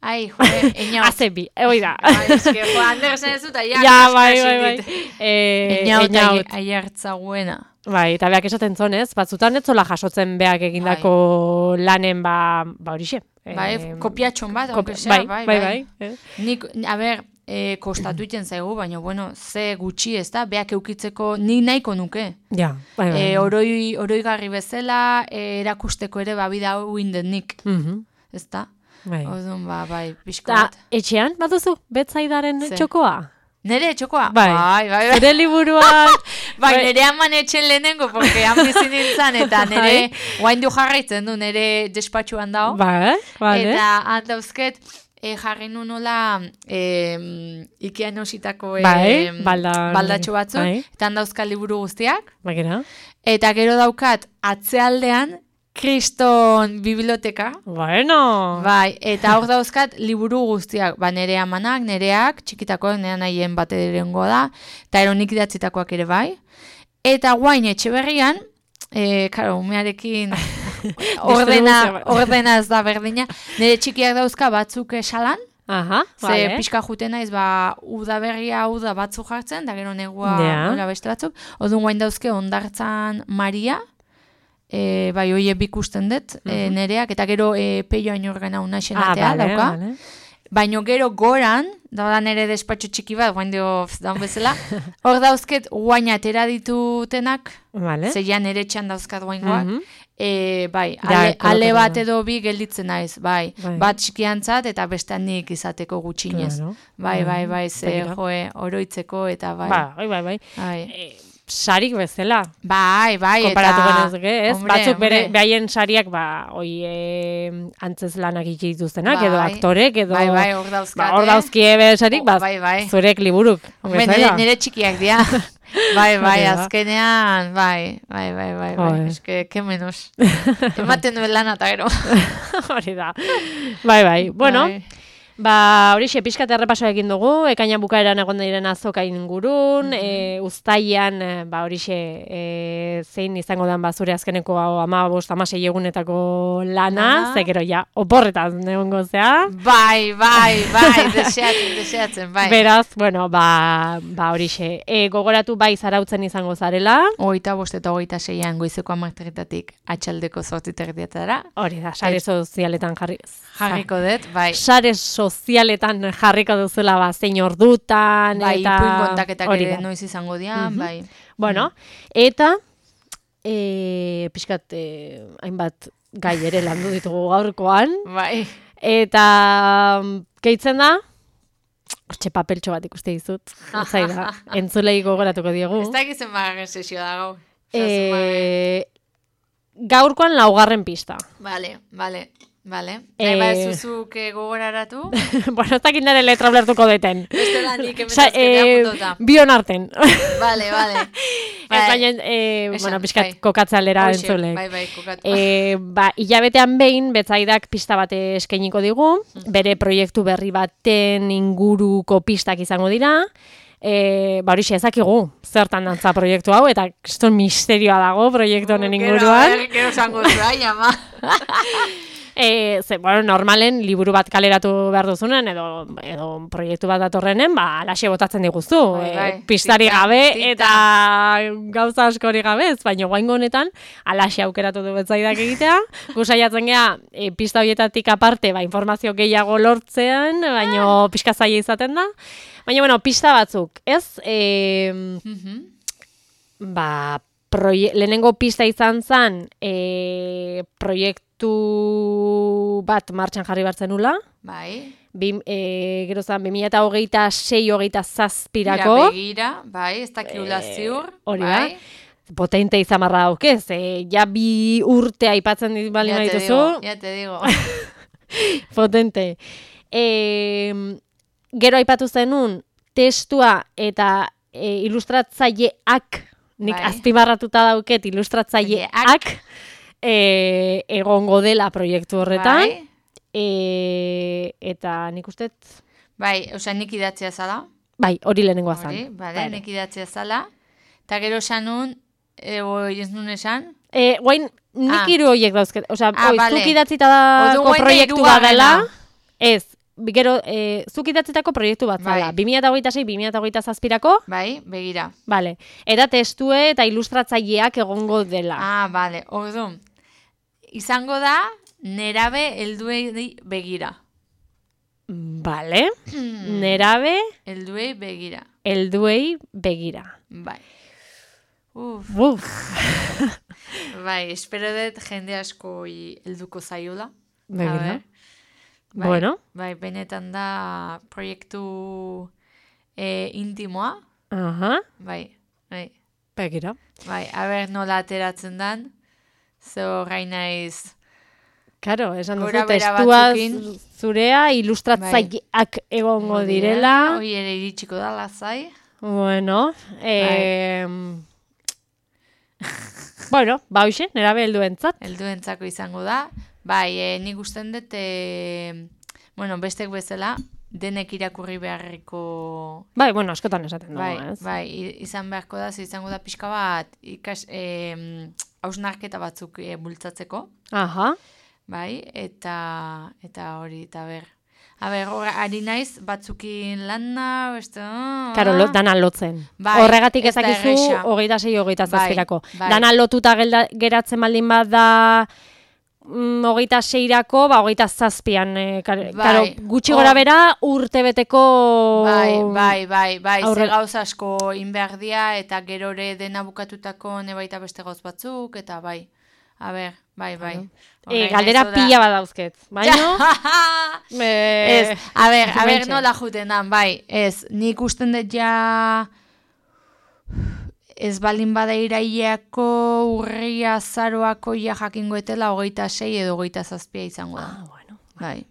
Speaker 3: ai, joe, eñaut.
Speaker 2: Azebi, hoi da.
Speaker 3: Bai, eske, jo, hande esan ez dut, aiak.
Speaker 2: Ja, bai, bai, bai. E,
Speaker 3: Eñaut, aiartzaguena.
Speaker 2: Bai, eta beak esaten zonez, batzutan ez zola jasotzen beak egindako bai. lanen, ba, ba horixe.
Speaker 3: Bai, e, kopiatxon bat,
Speaker 2: kopi,
Speaker 3: sea,
Speaker 2: bai,
Speaker 3: bai,
Speaker 2: bai,
Speaker 3: bai.
Speaker 2: bai. Eh?
Speaker 3: Nik, a ber, e, kostatu iten zaigu, baina, bueno, ze gutxi ez da, beak eukitzeko nik nahiko nuke.
Speaker 2: Ja, bai, bai.
Speaker 3: E, oroi, oroigarri bezala, e, erakusteko ere, babida hau inden nik.
Speaker 2: Mm-hmm.
Speaker 3: Ez da?
Speaker 2: Bai.
Speaker 3: Odun, ba, bai, pixko
Speaker 2: Ta,
Speaker 3: bat.
Speaker 2: etxean, baduzu, betzaidaren
Speaker 3: Ze.
Speaker 2: txokoa?
Speaker 3: Nere txokoa?
Speaker 2: Bai,
Speaker 3: bai, bai. bai.
Speaker 2: Zure liburuak...
Speaker 3: Bai, nere haman etxen lehenengo, porque han bizi nintzen, eta nere guain du jarraitzen du, nere despatxuan dao.
Speaker 2: Bai, vale.
Speaker 3: Eta handauzket, e, jarri nu nola e, Ikean ositako e,
Speaker 2: bai, balda,
Speaker 3: baldatxo batzuk,
Speaker 2: bai.
Speaker 3: eta handauzka liburu guztiak.
Speaker 2: Bai, gero.
Speaker 3: Eta gero daukat, atzealdean, Kriston biblioteka.
Speaker 2: Bueno.
Speaker 3: Bai, eta hor dauzkat liburu guztiak, ba nere amanak, nereak, txikitakoak, nire nahien bat erengo da, eta eronik idatzitakoak ere bai. Eta guain etxe berrian, e, karo, umearekin ordena, ordena ez da berdina, nire txikiak dauzka batzuk esalan,
Speaker 2: Aha,
Speaker 3: ze
Speaker 2: vale.
Speaker 3: pixka juten naiz, ba, udaberria uda batzuk jartzen, da gero negua
Speaker 2: Ja.
Speaker 3: nola beste batzuk, odun guain dauzke ondartzan Maria, E, bai, oie bikusten dut, uh -huh. e, nereak, eta gero e, peio ainorgana unaxen
Speaker 2: ah,
Speaker 3: atea
Speaker 2: vale,
Speaker 3: dauka.
Speaker 2: Vale.
Speaker 3: Baino gero goran, da nere despatxo txiki bat, guain dio daun bezala, hor dauzket guain atera ditutenak,
Speaker 2: Vale.
Speaker 3: zeian nere txan dauzkat guaingoak,
Speaker 2: Uh -huh.
Speaker 3: e, bai,
Speaker 2: Ja,
Speaker 3: ale, ale
Speaker 2: kolokatu
Speaker 3: bat
Speaker 2: da.
Speaker 3: edo bi gelditzen naiz, bai,
Speaker 2: Bai.
Speaker 3: bat txikiantzat eta bestean nik izateko gutxinez.
Speaker 2: Claro.
Speaker 3: Bai, bai, bai, ze
Speaker 2: Begira.
Speaker 3: joe, oroitzeko eta bai.
Speaker 2: Bai, bai, bai.
Speaker 3: Bai,
Speaker 2: E, sarik bezala.
Speaker 3: bai, bai,
Speaker 2: Konparatu
Speaker 3: eta...
Speaker 2: genezke, ez?
Speaker 3: Hombre,
Speaker 2: Batzuk bere,
Speaker 3: hombre.
Speaker 2: behaien sariak, ba, oi, e, antzez lanak itxi dituztenak,
Speaker 3: Bai.
Speaker 2: edo aktorek, edo...
Speaker 3: Bai, bai, hor dauzkate.
Speaker 2: Ba, hor dauzkie bere sarik, ba,
Speaker 3: Bai, bai.
Speaker 2: zurek liburuk.
Speaker 3: Hombre, nire, nire txikiak dira. Bai, bai,
Speaker 2: Hori da.
Speaker 3: azkenean, bai, bai, bai, bai, bai.
Speaker 2: Joder.
Speaker 3: Eske, que menos. Ematen duen lan eta gero.
Speaker 2: Hori da. Bai, bai. Bueno,
Speaker 3: Bai.
Speaker 2: ba, horixe, pixkat errepasoa egin dugu, ekaina bukaeran egon diren azoka ingurun,
Speaker 3: Mhm.
Speaker 2: e, uztaian, e, ba, horixe, e, zein izango den, ba, zure azkeneko ama bost, amasei egunetako lana,
Speaker 3: Aha.
Speaker 2: ze gero ja, oporretan egongo zea.
Speaker 3: Bai, bai, bai, deseatzen, deseatzen, bai.
Speaker 2: Beraz, bueno, ba, ba horixe, e, gogoratu bai zarautzen izango zarela,
Speaker 3: Hogeita bost eta hogeita seian goizeko amarterritatik atxaldeko zortziterdietara.
Speaker 2: hori da, sare sozialetan jarri.
Speaker 3: Jarriko dut, bai.
Speaker 2: Sare sozialetan jarriko duzula, ba, zein ordutan,
Speaker 3: Bai,
Speaker 2: eta...
Speaker 3: ipuin kontaketak
Speaker 2: hori
Speaker 3: ere
Speaker 2: da.
Speaker 3: noiz izango dian,
Speaker 2: Mhm.
Speaker 3: bai.
Speaker 2: Bueno, eta e, pixkat e, hainbat gai ere landu ditugu gaurkoan,
Speaker 3: Bai.
Speaker 2: eta mm, gehitzen da, hortxe papeltxo bat ikuste dizut, zai da, entzulei gogoratuko diegu.
Speaker 3: Ez da egizen bagarren sesio da gau.
Speaker 2: E, gaurkoan laugarren pista.
Speaker 3: Vale, vale, vale.
Speaker 2: Eh,
Speaker 3: Nahi ba zuzuk eh, gogoraratu.
Speaker 2: bueno, ez dakit nire letra ulertuko deten.
Speaker 3: Beste lan nik
Speaker 2: Sa,
Speaker 3: emetazketea
Speaker 2: e,
Speaker 3: puntota.
Speaker 2: bion arten.
Speaker 3: Vale, vale.
Speaker 2: Ez baina, e,
Speaker 3: Esan,
Speaker 2: bueno, pixkat
Speaker 3: bai.
Speaker 2: kokatze aldera
Speaker 3: Hoxe,
Speaker 2: entzulek.
Speaker 3: Bai, bai, kokatu.
Speaker 2: E, ba, hilabetean behin, betzaidak pista bat eskainiko digu, bere proiektu berri baten inguruko pistak izango dira, e, ba horixe ezakigu, zertan dantza proiektu hau, eta kriston misterioa dago proiektu honen inguruan.
Speaker 3: Gero, gero zango zua, ama.
Speaker 2: E, ze, bueno, normalen liburu bat kaleratu behar duzunen, edo, edo proiektu bat datorrenen, ba, alaxe botatzen diguzu.
Speaker 3: Bai, bai.
Speaker 2: E, pistari
Speaker 3: Tita,
Speaker 2: gabe,
Speaker 3: tita.
Speaker 2: eta gauza askori gabe, ez, baina guaingo honetan, alaxe aukeratu du betzaidak egitea. Gusaiatzen gea, e, pista horietatik aparte, ba, informazio gehiago lortzean, baina pixka zaila izaten da. Baina, bueno, pista batzuk, ez? E,
Speaker 3: Mhm.
Speaker 2: ba, proie lehenengo pista izan zen e, proiektu bat martxan jarri bartzen nula.
Speaker 3: Bai.
Speaker 2: Bi, e, gero zen, bi mila hogeita sei hogeita zazpirako.
Speaker 3: Mira, begira, bai, ez dakigula ziur.
Speaker 2: hori da.
Speaker 3: bai.
Speaker 2: Potente izamarra daukez, e, ja bi urte aipatzen dit bali
Speaker 3: Ya te
Speaker 2: dituzu.
Speaker 3: digo, ya te digo.
Speaker 2: Potente. E, gero aipatu zenun, testua eta e, ilustratzaileak, nik
Speaker 3: Bai.
Speaker 2: azpimarratuta dauket ilustratzaileak e, egongo dela proiektu horretan.
Speaker 3: Bai.
Speaker 2: e, eta nik uste...
Speaker 3: Bai, osea, nik idatzia zala.
Speaker 2: Bai, hori lehenengoa zan.
Speaker 3: Hori, bale, nik idatzia zala. Eta gero esan nun, ego ez nun esan?
Speaker 2: E, guain, nik
Speaker 3: ah.
Speaker 2: hiru horiek dauzket. Osea,
Speaker 3: ah,
Speaker 2: oi,
Speaker 3: vale.
Speaker 2: zuk idatzita dako proiektu bat dela. Ez, gero, e, zuk idatzitako proiektu bat zala.
Speaker 3: Bai.
Speaker 2: bi mila hogeita sei, bi mila hogeita zazpirako.
Speaker 3: Bai, begira.
Speaker 2: Vale. Eta testue eta ilustratzaileak egongo dela.
Speaker 3: Ah, bale, orduan. Izango da, nerabe helduei begira.
Speaker 2: Vale. Nerabe
Speaker 3: helduei begira.
Speaker 2: Helduei begira.
Speaker 3: Bai. Uf.
Speaker 2: Uf.
Speaker 3: Bai, espero dut jende asko helduko zaiola.
Speaker 2: Begira.
Speaker 3: Bai,
Speaker 2: bueno.
Speaker 3: Bai, benetan da proiektu e, intimoa.
Speaker 2: Aha.
Speaker 3: Bai, bai.
Speaker 2: Begira.
Speaker 3: Bai, a ber nola ateratzen dan. Zo gai naiz...
Speaker 2: Karo, esan duzu,
Speaker 3: Gora bera
Speaker 2: testua
Speaker 3: batzukin.
Speaker 2: zurea, ilustratzaileak egongo direla.
Speaker 3: Hoi ere iritsiko da lazai.
Speaker 2: Bueno, eh, bueno, ba hoxe, nerabe helduentzat.
Speaker 3: Helduentzako izango da. Bai, e, nik usten dut, e, bueno, bestek bezala, denek irakurri beharriko...
Speaker 2: Bai, bueno, askotan esaten dugu,
Speaker 3: bai,
Speaker 2: ez?
Speaker 3: Bai, izan beharko da, ze izango da pixka bat, ikas, e, hausnarketa batzuk e, bultzatzeko.
Speaker 2: Aha.
Speaker 3: Bai, eta eta hori, eta ber. A ber, hor, ari naiz, batzukin lana, beste... Oh,
Speaker 2: Karo, lo, dana lotzen.
Speaker 3: Bai,
Speaker 2: horregatik
Speaker 3: ez da
Speaker 2: ezakizu,
Speaker 3: erresa.
Speaker 2: hogeita sei, hogeita zazpirako.
Speaker 3: Bai, bai.
Speaker 2: Dana lotuta gelda, geratzen baldin bat da... Mm, hogeita seirako, ba, hogeita zazpian, e, kar,
Speaker 3: Bai.
Speaker 2: karo, gutxi gora bera, urte beteko...
Speaker 3: Bai, bai, bai, bai,
Speaker 2: aurre...
Speaker 3: ze gauz asko inberdia, eta gerore dena bukatutako nebaita beste gauz batzuk, eta bai, a ber, bai, bai.
Speaker 2: E, galdera pila bat dauzket, baino...
Speaker 3: me... Ez, a ber, a ber,
Speaker 2: Hementxe.
Speaker 3: nola juten dan, bai, ez, nik usten dut ja... Ez balin bada iraileako urria azaroako ja jakingo etela hogeita sei edo hogeita zazpia izango da.
Speaker 2: Ah, bueno.
Speaker 3: Bai.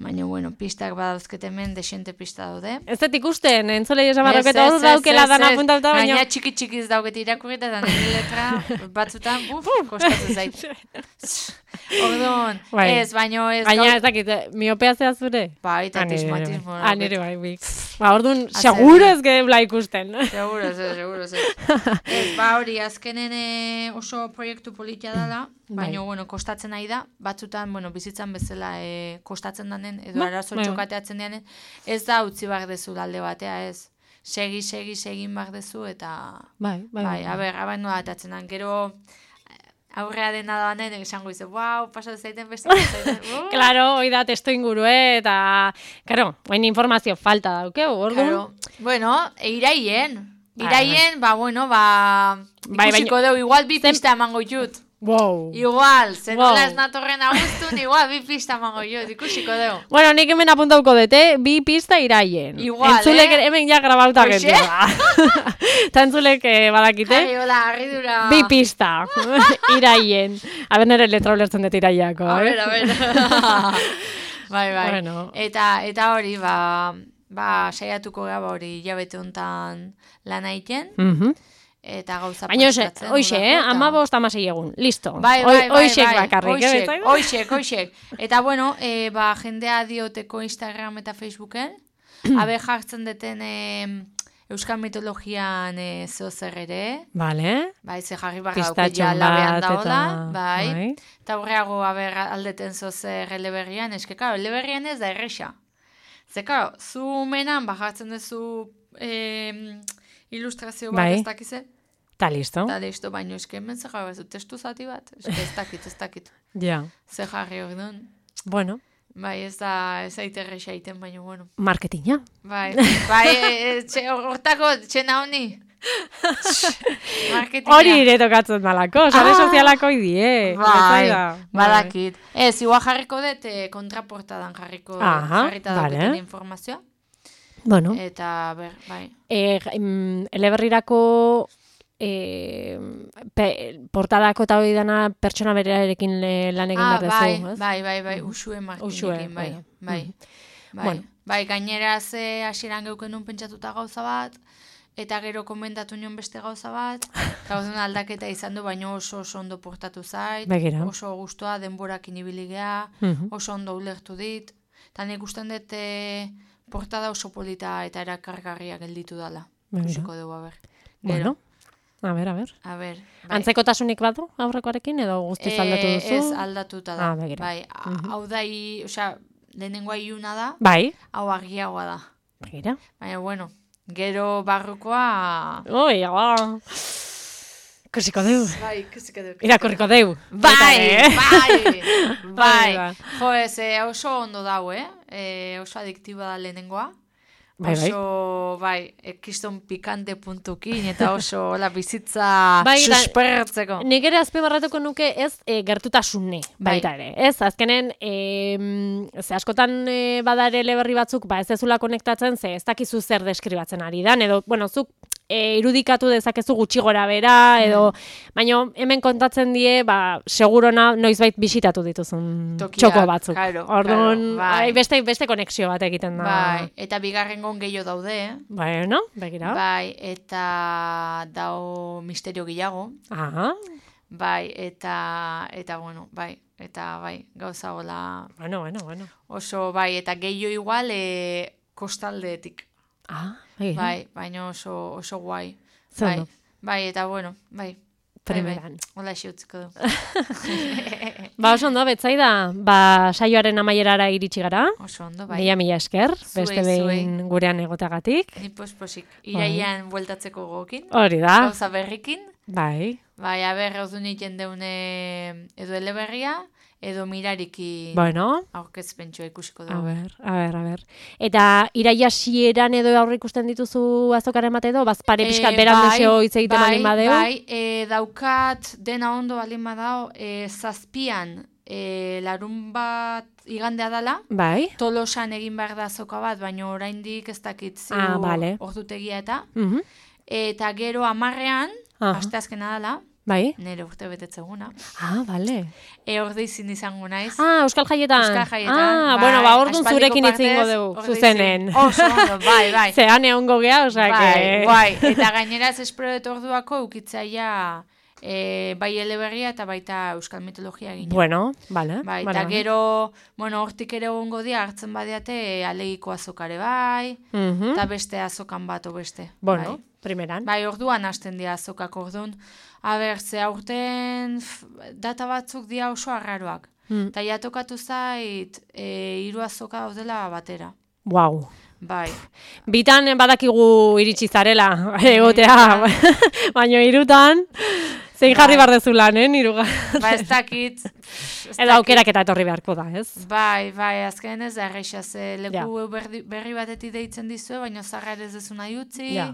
Speaker 3: Baina, bueno, pistak badauzket hemen, desente pista daude.
Speaker 2: Ez dut ikusten, entzulei esan
Speaker 3: Ez,
Speaker 2: barroketa
Speaker 3: ez,
Speaker 2: hor
Speaker 3: ez,
Speaker 2: daukela
Speaker 3: ez,
Speaker 2: dana
Speaker 3: ez.
Speaker 2: puntauta, baina...
Speaker 3: Gaina txiki txikiz dauket irakurrita, eta nire letra batzutan, buf, kostatzen zait. Orduan,
Speaker 2: Bai.
Speaker 3: ez, baino ez...
Speaker 2: Baina
Speaker 3: gaur-
Speaker 2: ez dakit, miopea zea zure?
Speaker 3: Bai, eta
Speaker 2: Ah, nire bai.
Speaker 3: tismatismo.
Speaker 2: Ah, nire bai, bik. Ba, orduan,
Speaker 3: Hacer-
Speaker 2: seguro ez gebla ikusten.
Speaker 3: Seguro, ez, seguro, ez. Ez, ba hori, azkenen eh, oso proiektu politia dela, baina,
Speaker 2: Bai.
Speaker 3: bueno, kostatzen nahi da, batzutan, bueno, bizitzan bezala eh, kostatzen danen, edo
Speaker 2: Ba,
Speaker 3: arazo
Speaker 2: bai.
Speaker 3: txokateatzen dianen, ez da utzi behar dezu alde batea, ez. Segi, segi, segin behar dezu, eta...
Speaker 2: Bai, bai,
Speaker 3: Bai, a ber, abain nola atatzen dan, gero... Aurrea dena danen, esango izu, wow, pasatu zaiten beste, zaiten, uh.
Speaker 2: Claro, hoi da testo ingurue, eta, claro, hain informazio falta daukeu, orduan.
Speaker 3: Claro. Bueno, e iraien.
Speaker 2: Bai,
Speaker 3: Iraien, ba, bueno, ba...
Speaker 2: Bai,
Speaker 3: Ikusiko deu, igual bi
Speaker 2: Zen-
Speaker 3: pista emango jut.
Speaker 2: Wow.
Speaker 3: Igual, zen
Speaker 2: Wow.
Speaker 3: nola ez natorren agustun, igual bi pista emango jut, ikusiko deu.
Speaker 2: Bueno, nik hemen apuntauko dute, bi pista iraien.
Speaker 3: Igual,
Speaker 2: entzulek
Speaker 3: eh?
Speaker 2: hemen ja grabauta
Speaker 3: Hoxe?
Speaker 2: gentua. Eta entzulek eh, badakite,
Speaker 3: Ai, hola, harridura.
Speaker 2: bi pista iraien. Aber nere letra ulertzen dut iraiako,
Speaker 3: A
Speaker 2: eh?
Speaker 3: ver, a ver. Bai, bai.
Speaker 2: Bueno.
Speaker 3: Eta, eta hori, ba, ba, saiatuko gara, ba, hori, hilabete hontan lan egiten,
Speaker 2: Mhm.
Speaker 3: eta gauza
Speaker 2: Baina hoxe,
Speaker 3: prestatzen,
Speaker 2: hoxe, eh?
Speaker 3: udako, eta-
Speaker 2: Amabost amasei egun, listo.
Speaker 3: Bai, bai, bai,
Speaker 2: Hoixek
Speaker 3: bai,
Speaker 2: bakarrik, eh?
Speaker 3: hoixek,
Speaker 2: betzak?
Speaker 3: hoixek, hoixek. Eta bueno, e, ba, jendea dioteko Instagram eta Facebooken, abe jartzen deten e, Euskal mitologian e, zeo zer ere,
Speaker 2: Vale.
Speaker 3: bai, ze jarri barra dauke
Speaker 2: Pistatxon
Speaker 3: ja labean
Speaker 2: bat,
Speaker 3: daola,
Speaker 2: eta...
Speaker 3: bai, eta horreago aber aldeten zeo zer eleberrian, eske, karo, eleberrian ez da erresa. Ze, karo, zu menan, ba, jartzen duzu e, ilustrazio bat
Speaker 2: Bai.
Speaker 3: ez dakize,
Speaker 2: Ta listo.
Speaker 3: eta listo, baino eske hemen zer jarri bazu, testu zati bat, eske ez dakit, ez dakit.
Speaker 2: Ja.
Speaker 3: Ze jarri hor duen.
Speaker 2: Bueno,
Speaker 3: Bai, ez da, ez aite erresa iten, baina, bueno.
Speaker 2: marketinga.
Speaker 3: Bai, bai, e, e, txe, hortako, txena honi. Marketinga.
Speaker 2: Hori ere tokatzen dalako, sare
Speaker 3: Ah!
Speaker 2: sozialako idie.
Speaker 3: Bai,
Speaker 2: Bai.
Speaker 3: badakit. Ez, igual jarriko dut, eh, kontraportadan jarriko,
Speaker 2: Aha,
Speaker 3: jarrita
Speaker 2: vale.
Speaker 3: dauketen informazioa.
Speaker 2: Bueno,
Speaker 3: Eta, ber, bai.
Speaker 2: e, mm, eleberrirako e, pe, portadako eta hori dana pertsona berarekin le- lan egin
Speaker 3: Ah,
Speaker 2: behar
Speaker 3: bai,
Speaker 2: dezu, ez?
Speaker 3: bai, bai, bai, Uxue Martinekin,
Speaker 2: Uxue,
Speaker 3: bai,
Speaker 2: bai.
Speaker 3: bai.
Speaker 2: Mhm.
Speaker 3: Bai,
Speaker 2: Bueno.
Speaker 3: bai, gainera ze hasieran geuken nun pentsatuta gauza bat, eta gero komentatu nion beste gauza bat, eta orduan aldaketa izan du, baina oso oso ondo portatu zait,
Speaker 2: Begira.
Speaker 3: oso gustoa denborakin ibili gea,
Speaker 2: Mhm.
Speaker 3: oso ondo ulertu dit, eta nik usten dut eh, portada oso polita eta erakargarria gelditu dala.
Speaker 2: Begira.
Speaker 3: Ikusiko dugu, a ber.
Speaker 2: Bueno, a ber, a ber.
Speaker 3: A ber, bai.
Speaker 2: Antzekotasunik badu aurrekoarekin edo guztiz aldatu
Speaker 3: Eh,
Speaker 2: duzu?
Speaker 3: Ez, aldatuta da.
Speaker 2: Ah, begira.
Speaker 3: Bai, a- hau da, i- osea, lehenengoa iluna da,
Speaker 2: Bai,
Speaker 3: hau argiagoa da.
Speaker 2: begira.
Speaker 3: Baina, bueno, gero barrukoa...
Speaker 2: Oi, ba. Ikusiko deu.
Speaker 3: Bai, ikusiko duk.
Speaker 2: Irakurriko deu.
Speaker 3: Bai,
Speaker 2: Baita, eh?
Speaker 3: bai, bai.
Speaker 2: Bai,
Speaker 3: Jo, ez, eh, oso ondo dau, eh? eh oso adiktiba da lehenengoa.
Speaker 2: Bai, bai.
Speaker 3: Oso, bai, ekiston pikante puntukin, eta oso la bizitza
Speaker 2: Bai, da-
Speaker 3: suspertzeko.
Speaker 2: Nik ere azpimarratuko nuke ez e, gertutasune
Speaker 3: Bai.
Speaker 2: baita ere. Ez, azkenen, e, ze askotan e, bada ere eleberri batzuk, ba ez ezula konektatzen, ze ez dakizu zer deskribatzen ari dan, edo, bueno, zuk e, irudikatu dezakezu gutxi gora bera, edo, baina hemen kontatzen die, ba, segurona noizbait bisitatu dituzun
Speaker 3: Tokiak,
Speaker 2: txoko batzuk.
Speaker 3: claro,
Speaker 2: Orduan,
Speaker 3: claro, bai.
Speaker 2: ai, beste, beste konexio bat egiten da.
Speaker 3: Bai, eta bigarrengon gehiago daude, eh?
Speaker 2: Bueno, begira.
Speaker 3: Bai, eta dau misterio gehiago.
Speaker 2: Aha,
Speaker 3: Bai, eta, eta bueno, bai, eta bai, gauza hola
Speaker 2: bueno, bueno, bueno.
Speaker 3: oso, bai, eta gehiago igual e, kostaldeetik.
Speaker 2: Ah, begira.
Speaker 3: Bai, baina oso, oso guai.
Speaker 2: Zer
Speaker 3: Bai,
Speaker 2: ondo.
Speaker 3: bai, eta bueno, bai.
Speaker 2: Primeran.
Speaker 3: Bai, bai. Hola xiutziko du.
Speaker 2: Ba, oso ondo, betzaida, ba, saioaren amaierara iritsi gara.
Speaker 3: Oso ondo, bai.
Speaker 2: Mila mila esker,
Speaker 3: Zuei,
Speaker 2: beste behin gurean egotagatik.
Speaker 3: Ni posposik. Iraian bueltatzeko gokin.
Speaker 2: Hori da,
Speaker 3: Gauza berrikin.
Speaker 2: bai.
Speaker 3: Bai, aber, hau du nik deune edo eleberria, edo mirariki
Speaker 2: Bueno,
Speaker 3: aurkezpentsua ikusiko
Speaker 2: a
Speaker 3: dugu.
Speaker 2: ber, a ber, a ber. Eta iraia hasieran edo aurre ikusten dituzu azokaren bat edo, bazpare pixkat
Speaker 3: Eh,
Speaker 2: beran
Speaker 3: bai,
Speaker 2: deseo hitz egiten
Speaker 3: bai,
Speaker 2: baldin badeu.
Speaker 3: Bai, e, daukat dena ondo baldin badao, e, zazpian e, larun bat igandea dala,
Speaker 2: Bai.
Speaker 3: Tolosan egin behar da azoka bat, baina oraindik ez dakit ziu
Speaker 2: Ah, vale.
Speaker 3: ordutegia eta.
Speaker 2: Mhm.
Speaker 3: Eta gero amarrean,
Speaker 2: Aha.
Speaker 3: asteazkena dala,
Speaker 2: Bai.
Speaker 3: nire urte betetzeguna.
Speaker 2: Ah, vale.
Speaker 3: E orde izin izango naiz.
Speaker 2: Ah, Euskal Jaietan.
Speaker 3: Euskal Jaietan.
Speaker 2: Ah,
Speaker 3: bai,
Speaker 2: bueno, ba, orduan
Speaker 3: aspaldiko
Speaker 2: zurekin hitz egingo
Speaker 3: partez,
Speaker 2: dugu,
Speaker 3: orde
Speaker 2: zuzenen.
Speaker 3: izin. Oso ondo, bai, bai.
Speaker 2: Zean egongo gea, osea,
Speaker 3: Bai,
Speaker 2: que...
Speaker 3: bai, eta gainera ez espero dut orduako eukitzaia e, bai eleberria eta baita euskal mitologia egin.
Speaker 2: Bueno, vale.
Speaker 3: Bai,
Speaker 2: vale,
Speaker 3: eta
Speaker 2: vale.
Speaker 3: gero, bueno, hortik ere egongo dia hartzen badiate alegiko azokare bai,
Speaker 2: Mhm.
Speaker 3: eta beste azokan bat o beste.
Speaker 2: Bueno,
Speaker 3: bai.
Speaker 2: primeran.
Speaker 3: Bai, orduan hasten dira azokak orduan. A ber, ze aurten f, data batzuk dia oso arraroak.
Speaker 2: Mm.
Speaker 3: Eta ja tokatu zait, e, hiru azoka daudela batera.
Speaker 2: Wow.
Speaker 3: Bai.
Speaker 2: Bitan badakigu iritsi zarela egotea, baina hirutan zein jarri
Speaker 3: Bai.
Speaker 2: behar dezu lan, eh, hiruga.
Speaker 3: Ba, ez dakit. ez
Speaker 2: Edo
Speaker 3: dakit.
Speaker 2: aukerak eta etorri beharko da, ez?
Speaker 3: Bai, bai, azken ez da erreixa, ze leku
Speaker 2: Ja.
Speaker 3: berri, berri batetik deitzen dizue, baina zarra ere ez dezu nahi utzi.
Speaker 2: Ja.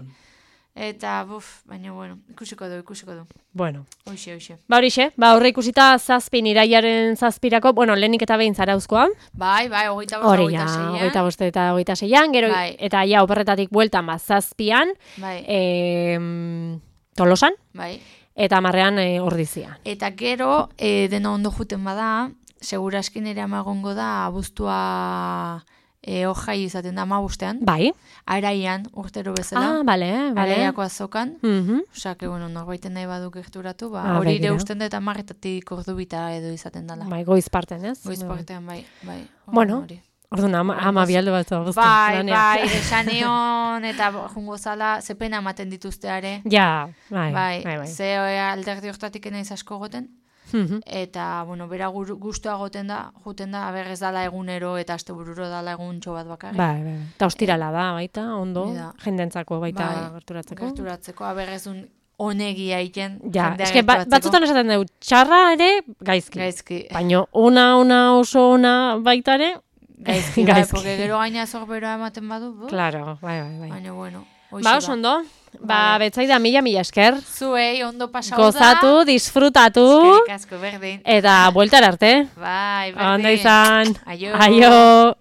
Speaker 3: Eta, buf, baina, bueno, ikusiko du, ikusiko du.
Speaker 2: Bueno.
Speaker 3: Hoxe, hoxe.
Speaker 2: Ba horixe, ba horre ikusita zazpin iraiaren zazpirako, bueno, lehenik eta behin zarauzkoa.
Speaker 3: Bai, bai, hogeita bost,
Speaker 2: Hori
Speaker 3: hogeita
Speaker 2: ja,
Speaker 3: seian.
Speaker 2: hogeita boste eta hogeita seian, gero,
Speaker 3: Bai.
Speaker 2: eta ja, operretatik bueltan, ba, zazpian,
Speaker 3: Bai,
Speaker 2: e, Tolosan,
Speaker 3: bai.
Speaker 2: eta marrean e, ordizian.
Speaker 3: Eta gero, e, dena ondo juten bada, seguraskin ere amagongo da, abuztua e, hojai izaten da amabustean,
Speaker 2: Bai.
Speaker 3: araian, urtero bezala,
Speaker 2: Ah, bale, bale.
Speaker 3: araiako azokan.
Speaker 2: Mhm.
Speaker 3: Osea, que, bueno, norbaiten nahi badu gerturatu, ba,
Speaker 2: Ah,
Speaker 3: hori ere
Speaker 2: begira.
Speaker 3: usten dut amarretatik ordu bita edo izaten dela.
Speaker 2: Bai, goiz parten, ez?
Speaker 3: Goiz partean, bai, bai.
Speaker 2: Bueno,
Speaker 3: hori.
Speaker 2: Orduan, ama, ama bialdo bat abuzten.
Speaker 3: Bai,
Speaker 2: lanean.
Speaker 3: bai, esan nion, eta jungo zala, ze pena ematen dituzteare.
Speaker 2: Ja, bai,
Speaker 3: Bai,
Speaker 2: bai, bai.
Speaker 3: ze eh, alderdi hortatik naiz asko goten.
Speaker 2: Mhm.
Speaker 3: Eta, bueno, bera gur- gustua goten da, juten da, aber ez dala egunero eta astebururo dala eguntxo bat bakarrik.
Speaker 2: Bai, bai. Eta ostirala da, baita, ondo,
Speaker 3: Hori da.
Speaker 2: jendentzako baita
Speaker 3: Bai,
Speaker 2: gerturatzeko.
Speaker 3: Gerturatzeko, aber ez un onegia egiten.
Speaker 2: Ja,
Speaker 3: jendea
Speaker 2: eske ba,
Speaker 3: gerturatzeko.
Speaker 2: batzutan esaten dugu, txarra ere gaizki.
Speaker 3: Gaizki.
Speaker 2: Baina ona, ona, oso ona baita ere,
Speaker 3: Gaizki, bai,
Speaker 2: gaizki.
Speaker 3: porque gero gaina zorberoa ematen badu, bu?
Speaker 2: Claro, bai, bai, bai.
Speaker 3: Baina, bueno, hoxe
Speaker 2: Ba, oso ondo. Ba,
Speaker 3: Vale.
Speaker 2: betzaida mila, mila esker.
Speaker 3: Zuei, ondo pasau
Speaker 2: Gozatu, disfrutatu,
Speaker 3: Eskerrik asko, berdin.
Speaker 2: eta bueltar arte.
Speaker 3: Bai, berdin.
Speaker 2: Ondo izan.
Speaker 3: Aio.
Speaker 2: Aio.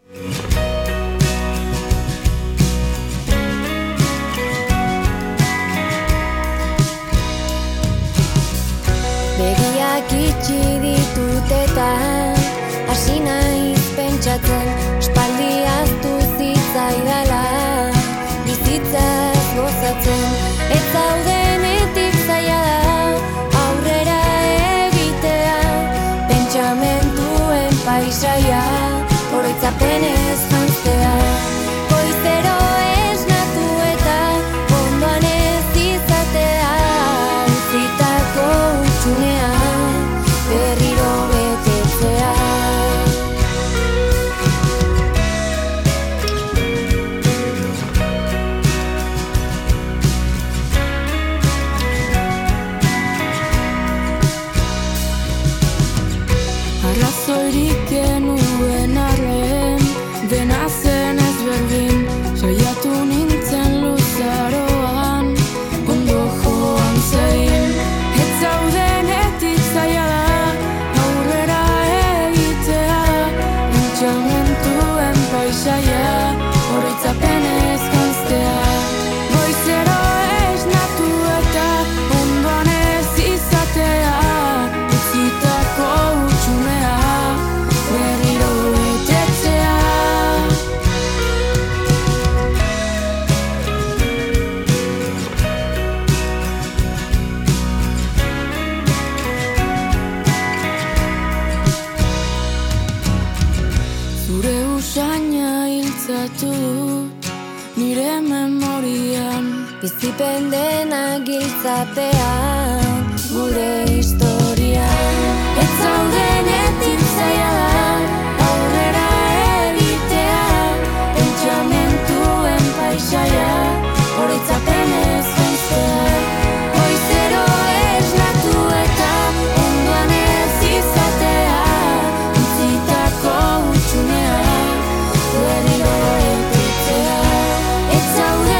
Speaker 4: Begiak itxi ditut eta hasi naiz pentsatzen espaldi hartu zitzaidala bizitzaz gozatzen paisaia, oroitzapenez janztea. Goizero esnatu eta ondoan ez izatea, utzitako utxunea, berriro betetzea. Arrazoirik genuen arren, dena zen ezberdin, saiatu nintzen luzaroan, ondo joan zein. Ez zaudenetik zaila da, aurrera egitea, pentsamenturen paisaia, oroitzapenez janztea. Goizero esnatu eta ondoan ez izatea, utzitako utxunea, berriro betetzea. Zure usaina hiltzatu dut nire memorian, bizipen dena giltzapean, gure historian. Ez zaudenetik zaila da, aurrera egitea, pentsamenturen paisaia, oroitzapenez janztea. Goizero esnatu eta ondoan ez izatea, utzitako utxunea, berriro betetzea. Ez zaude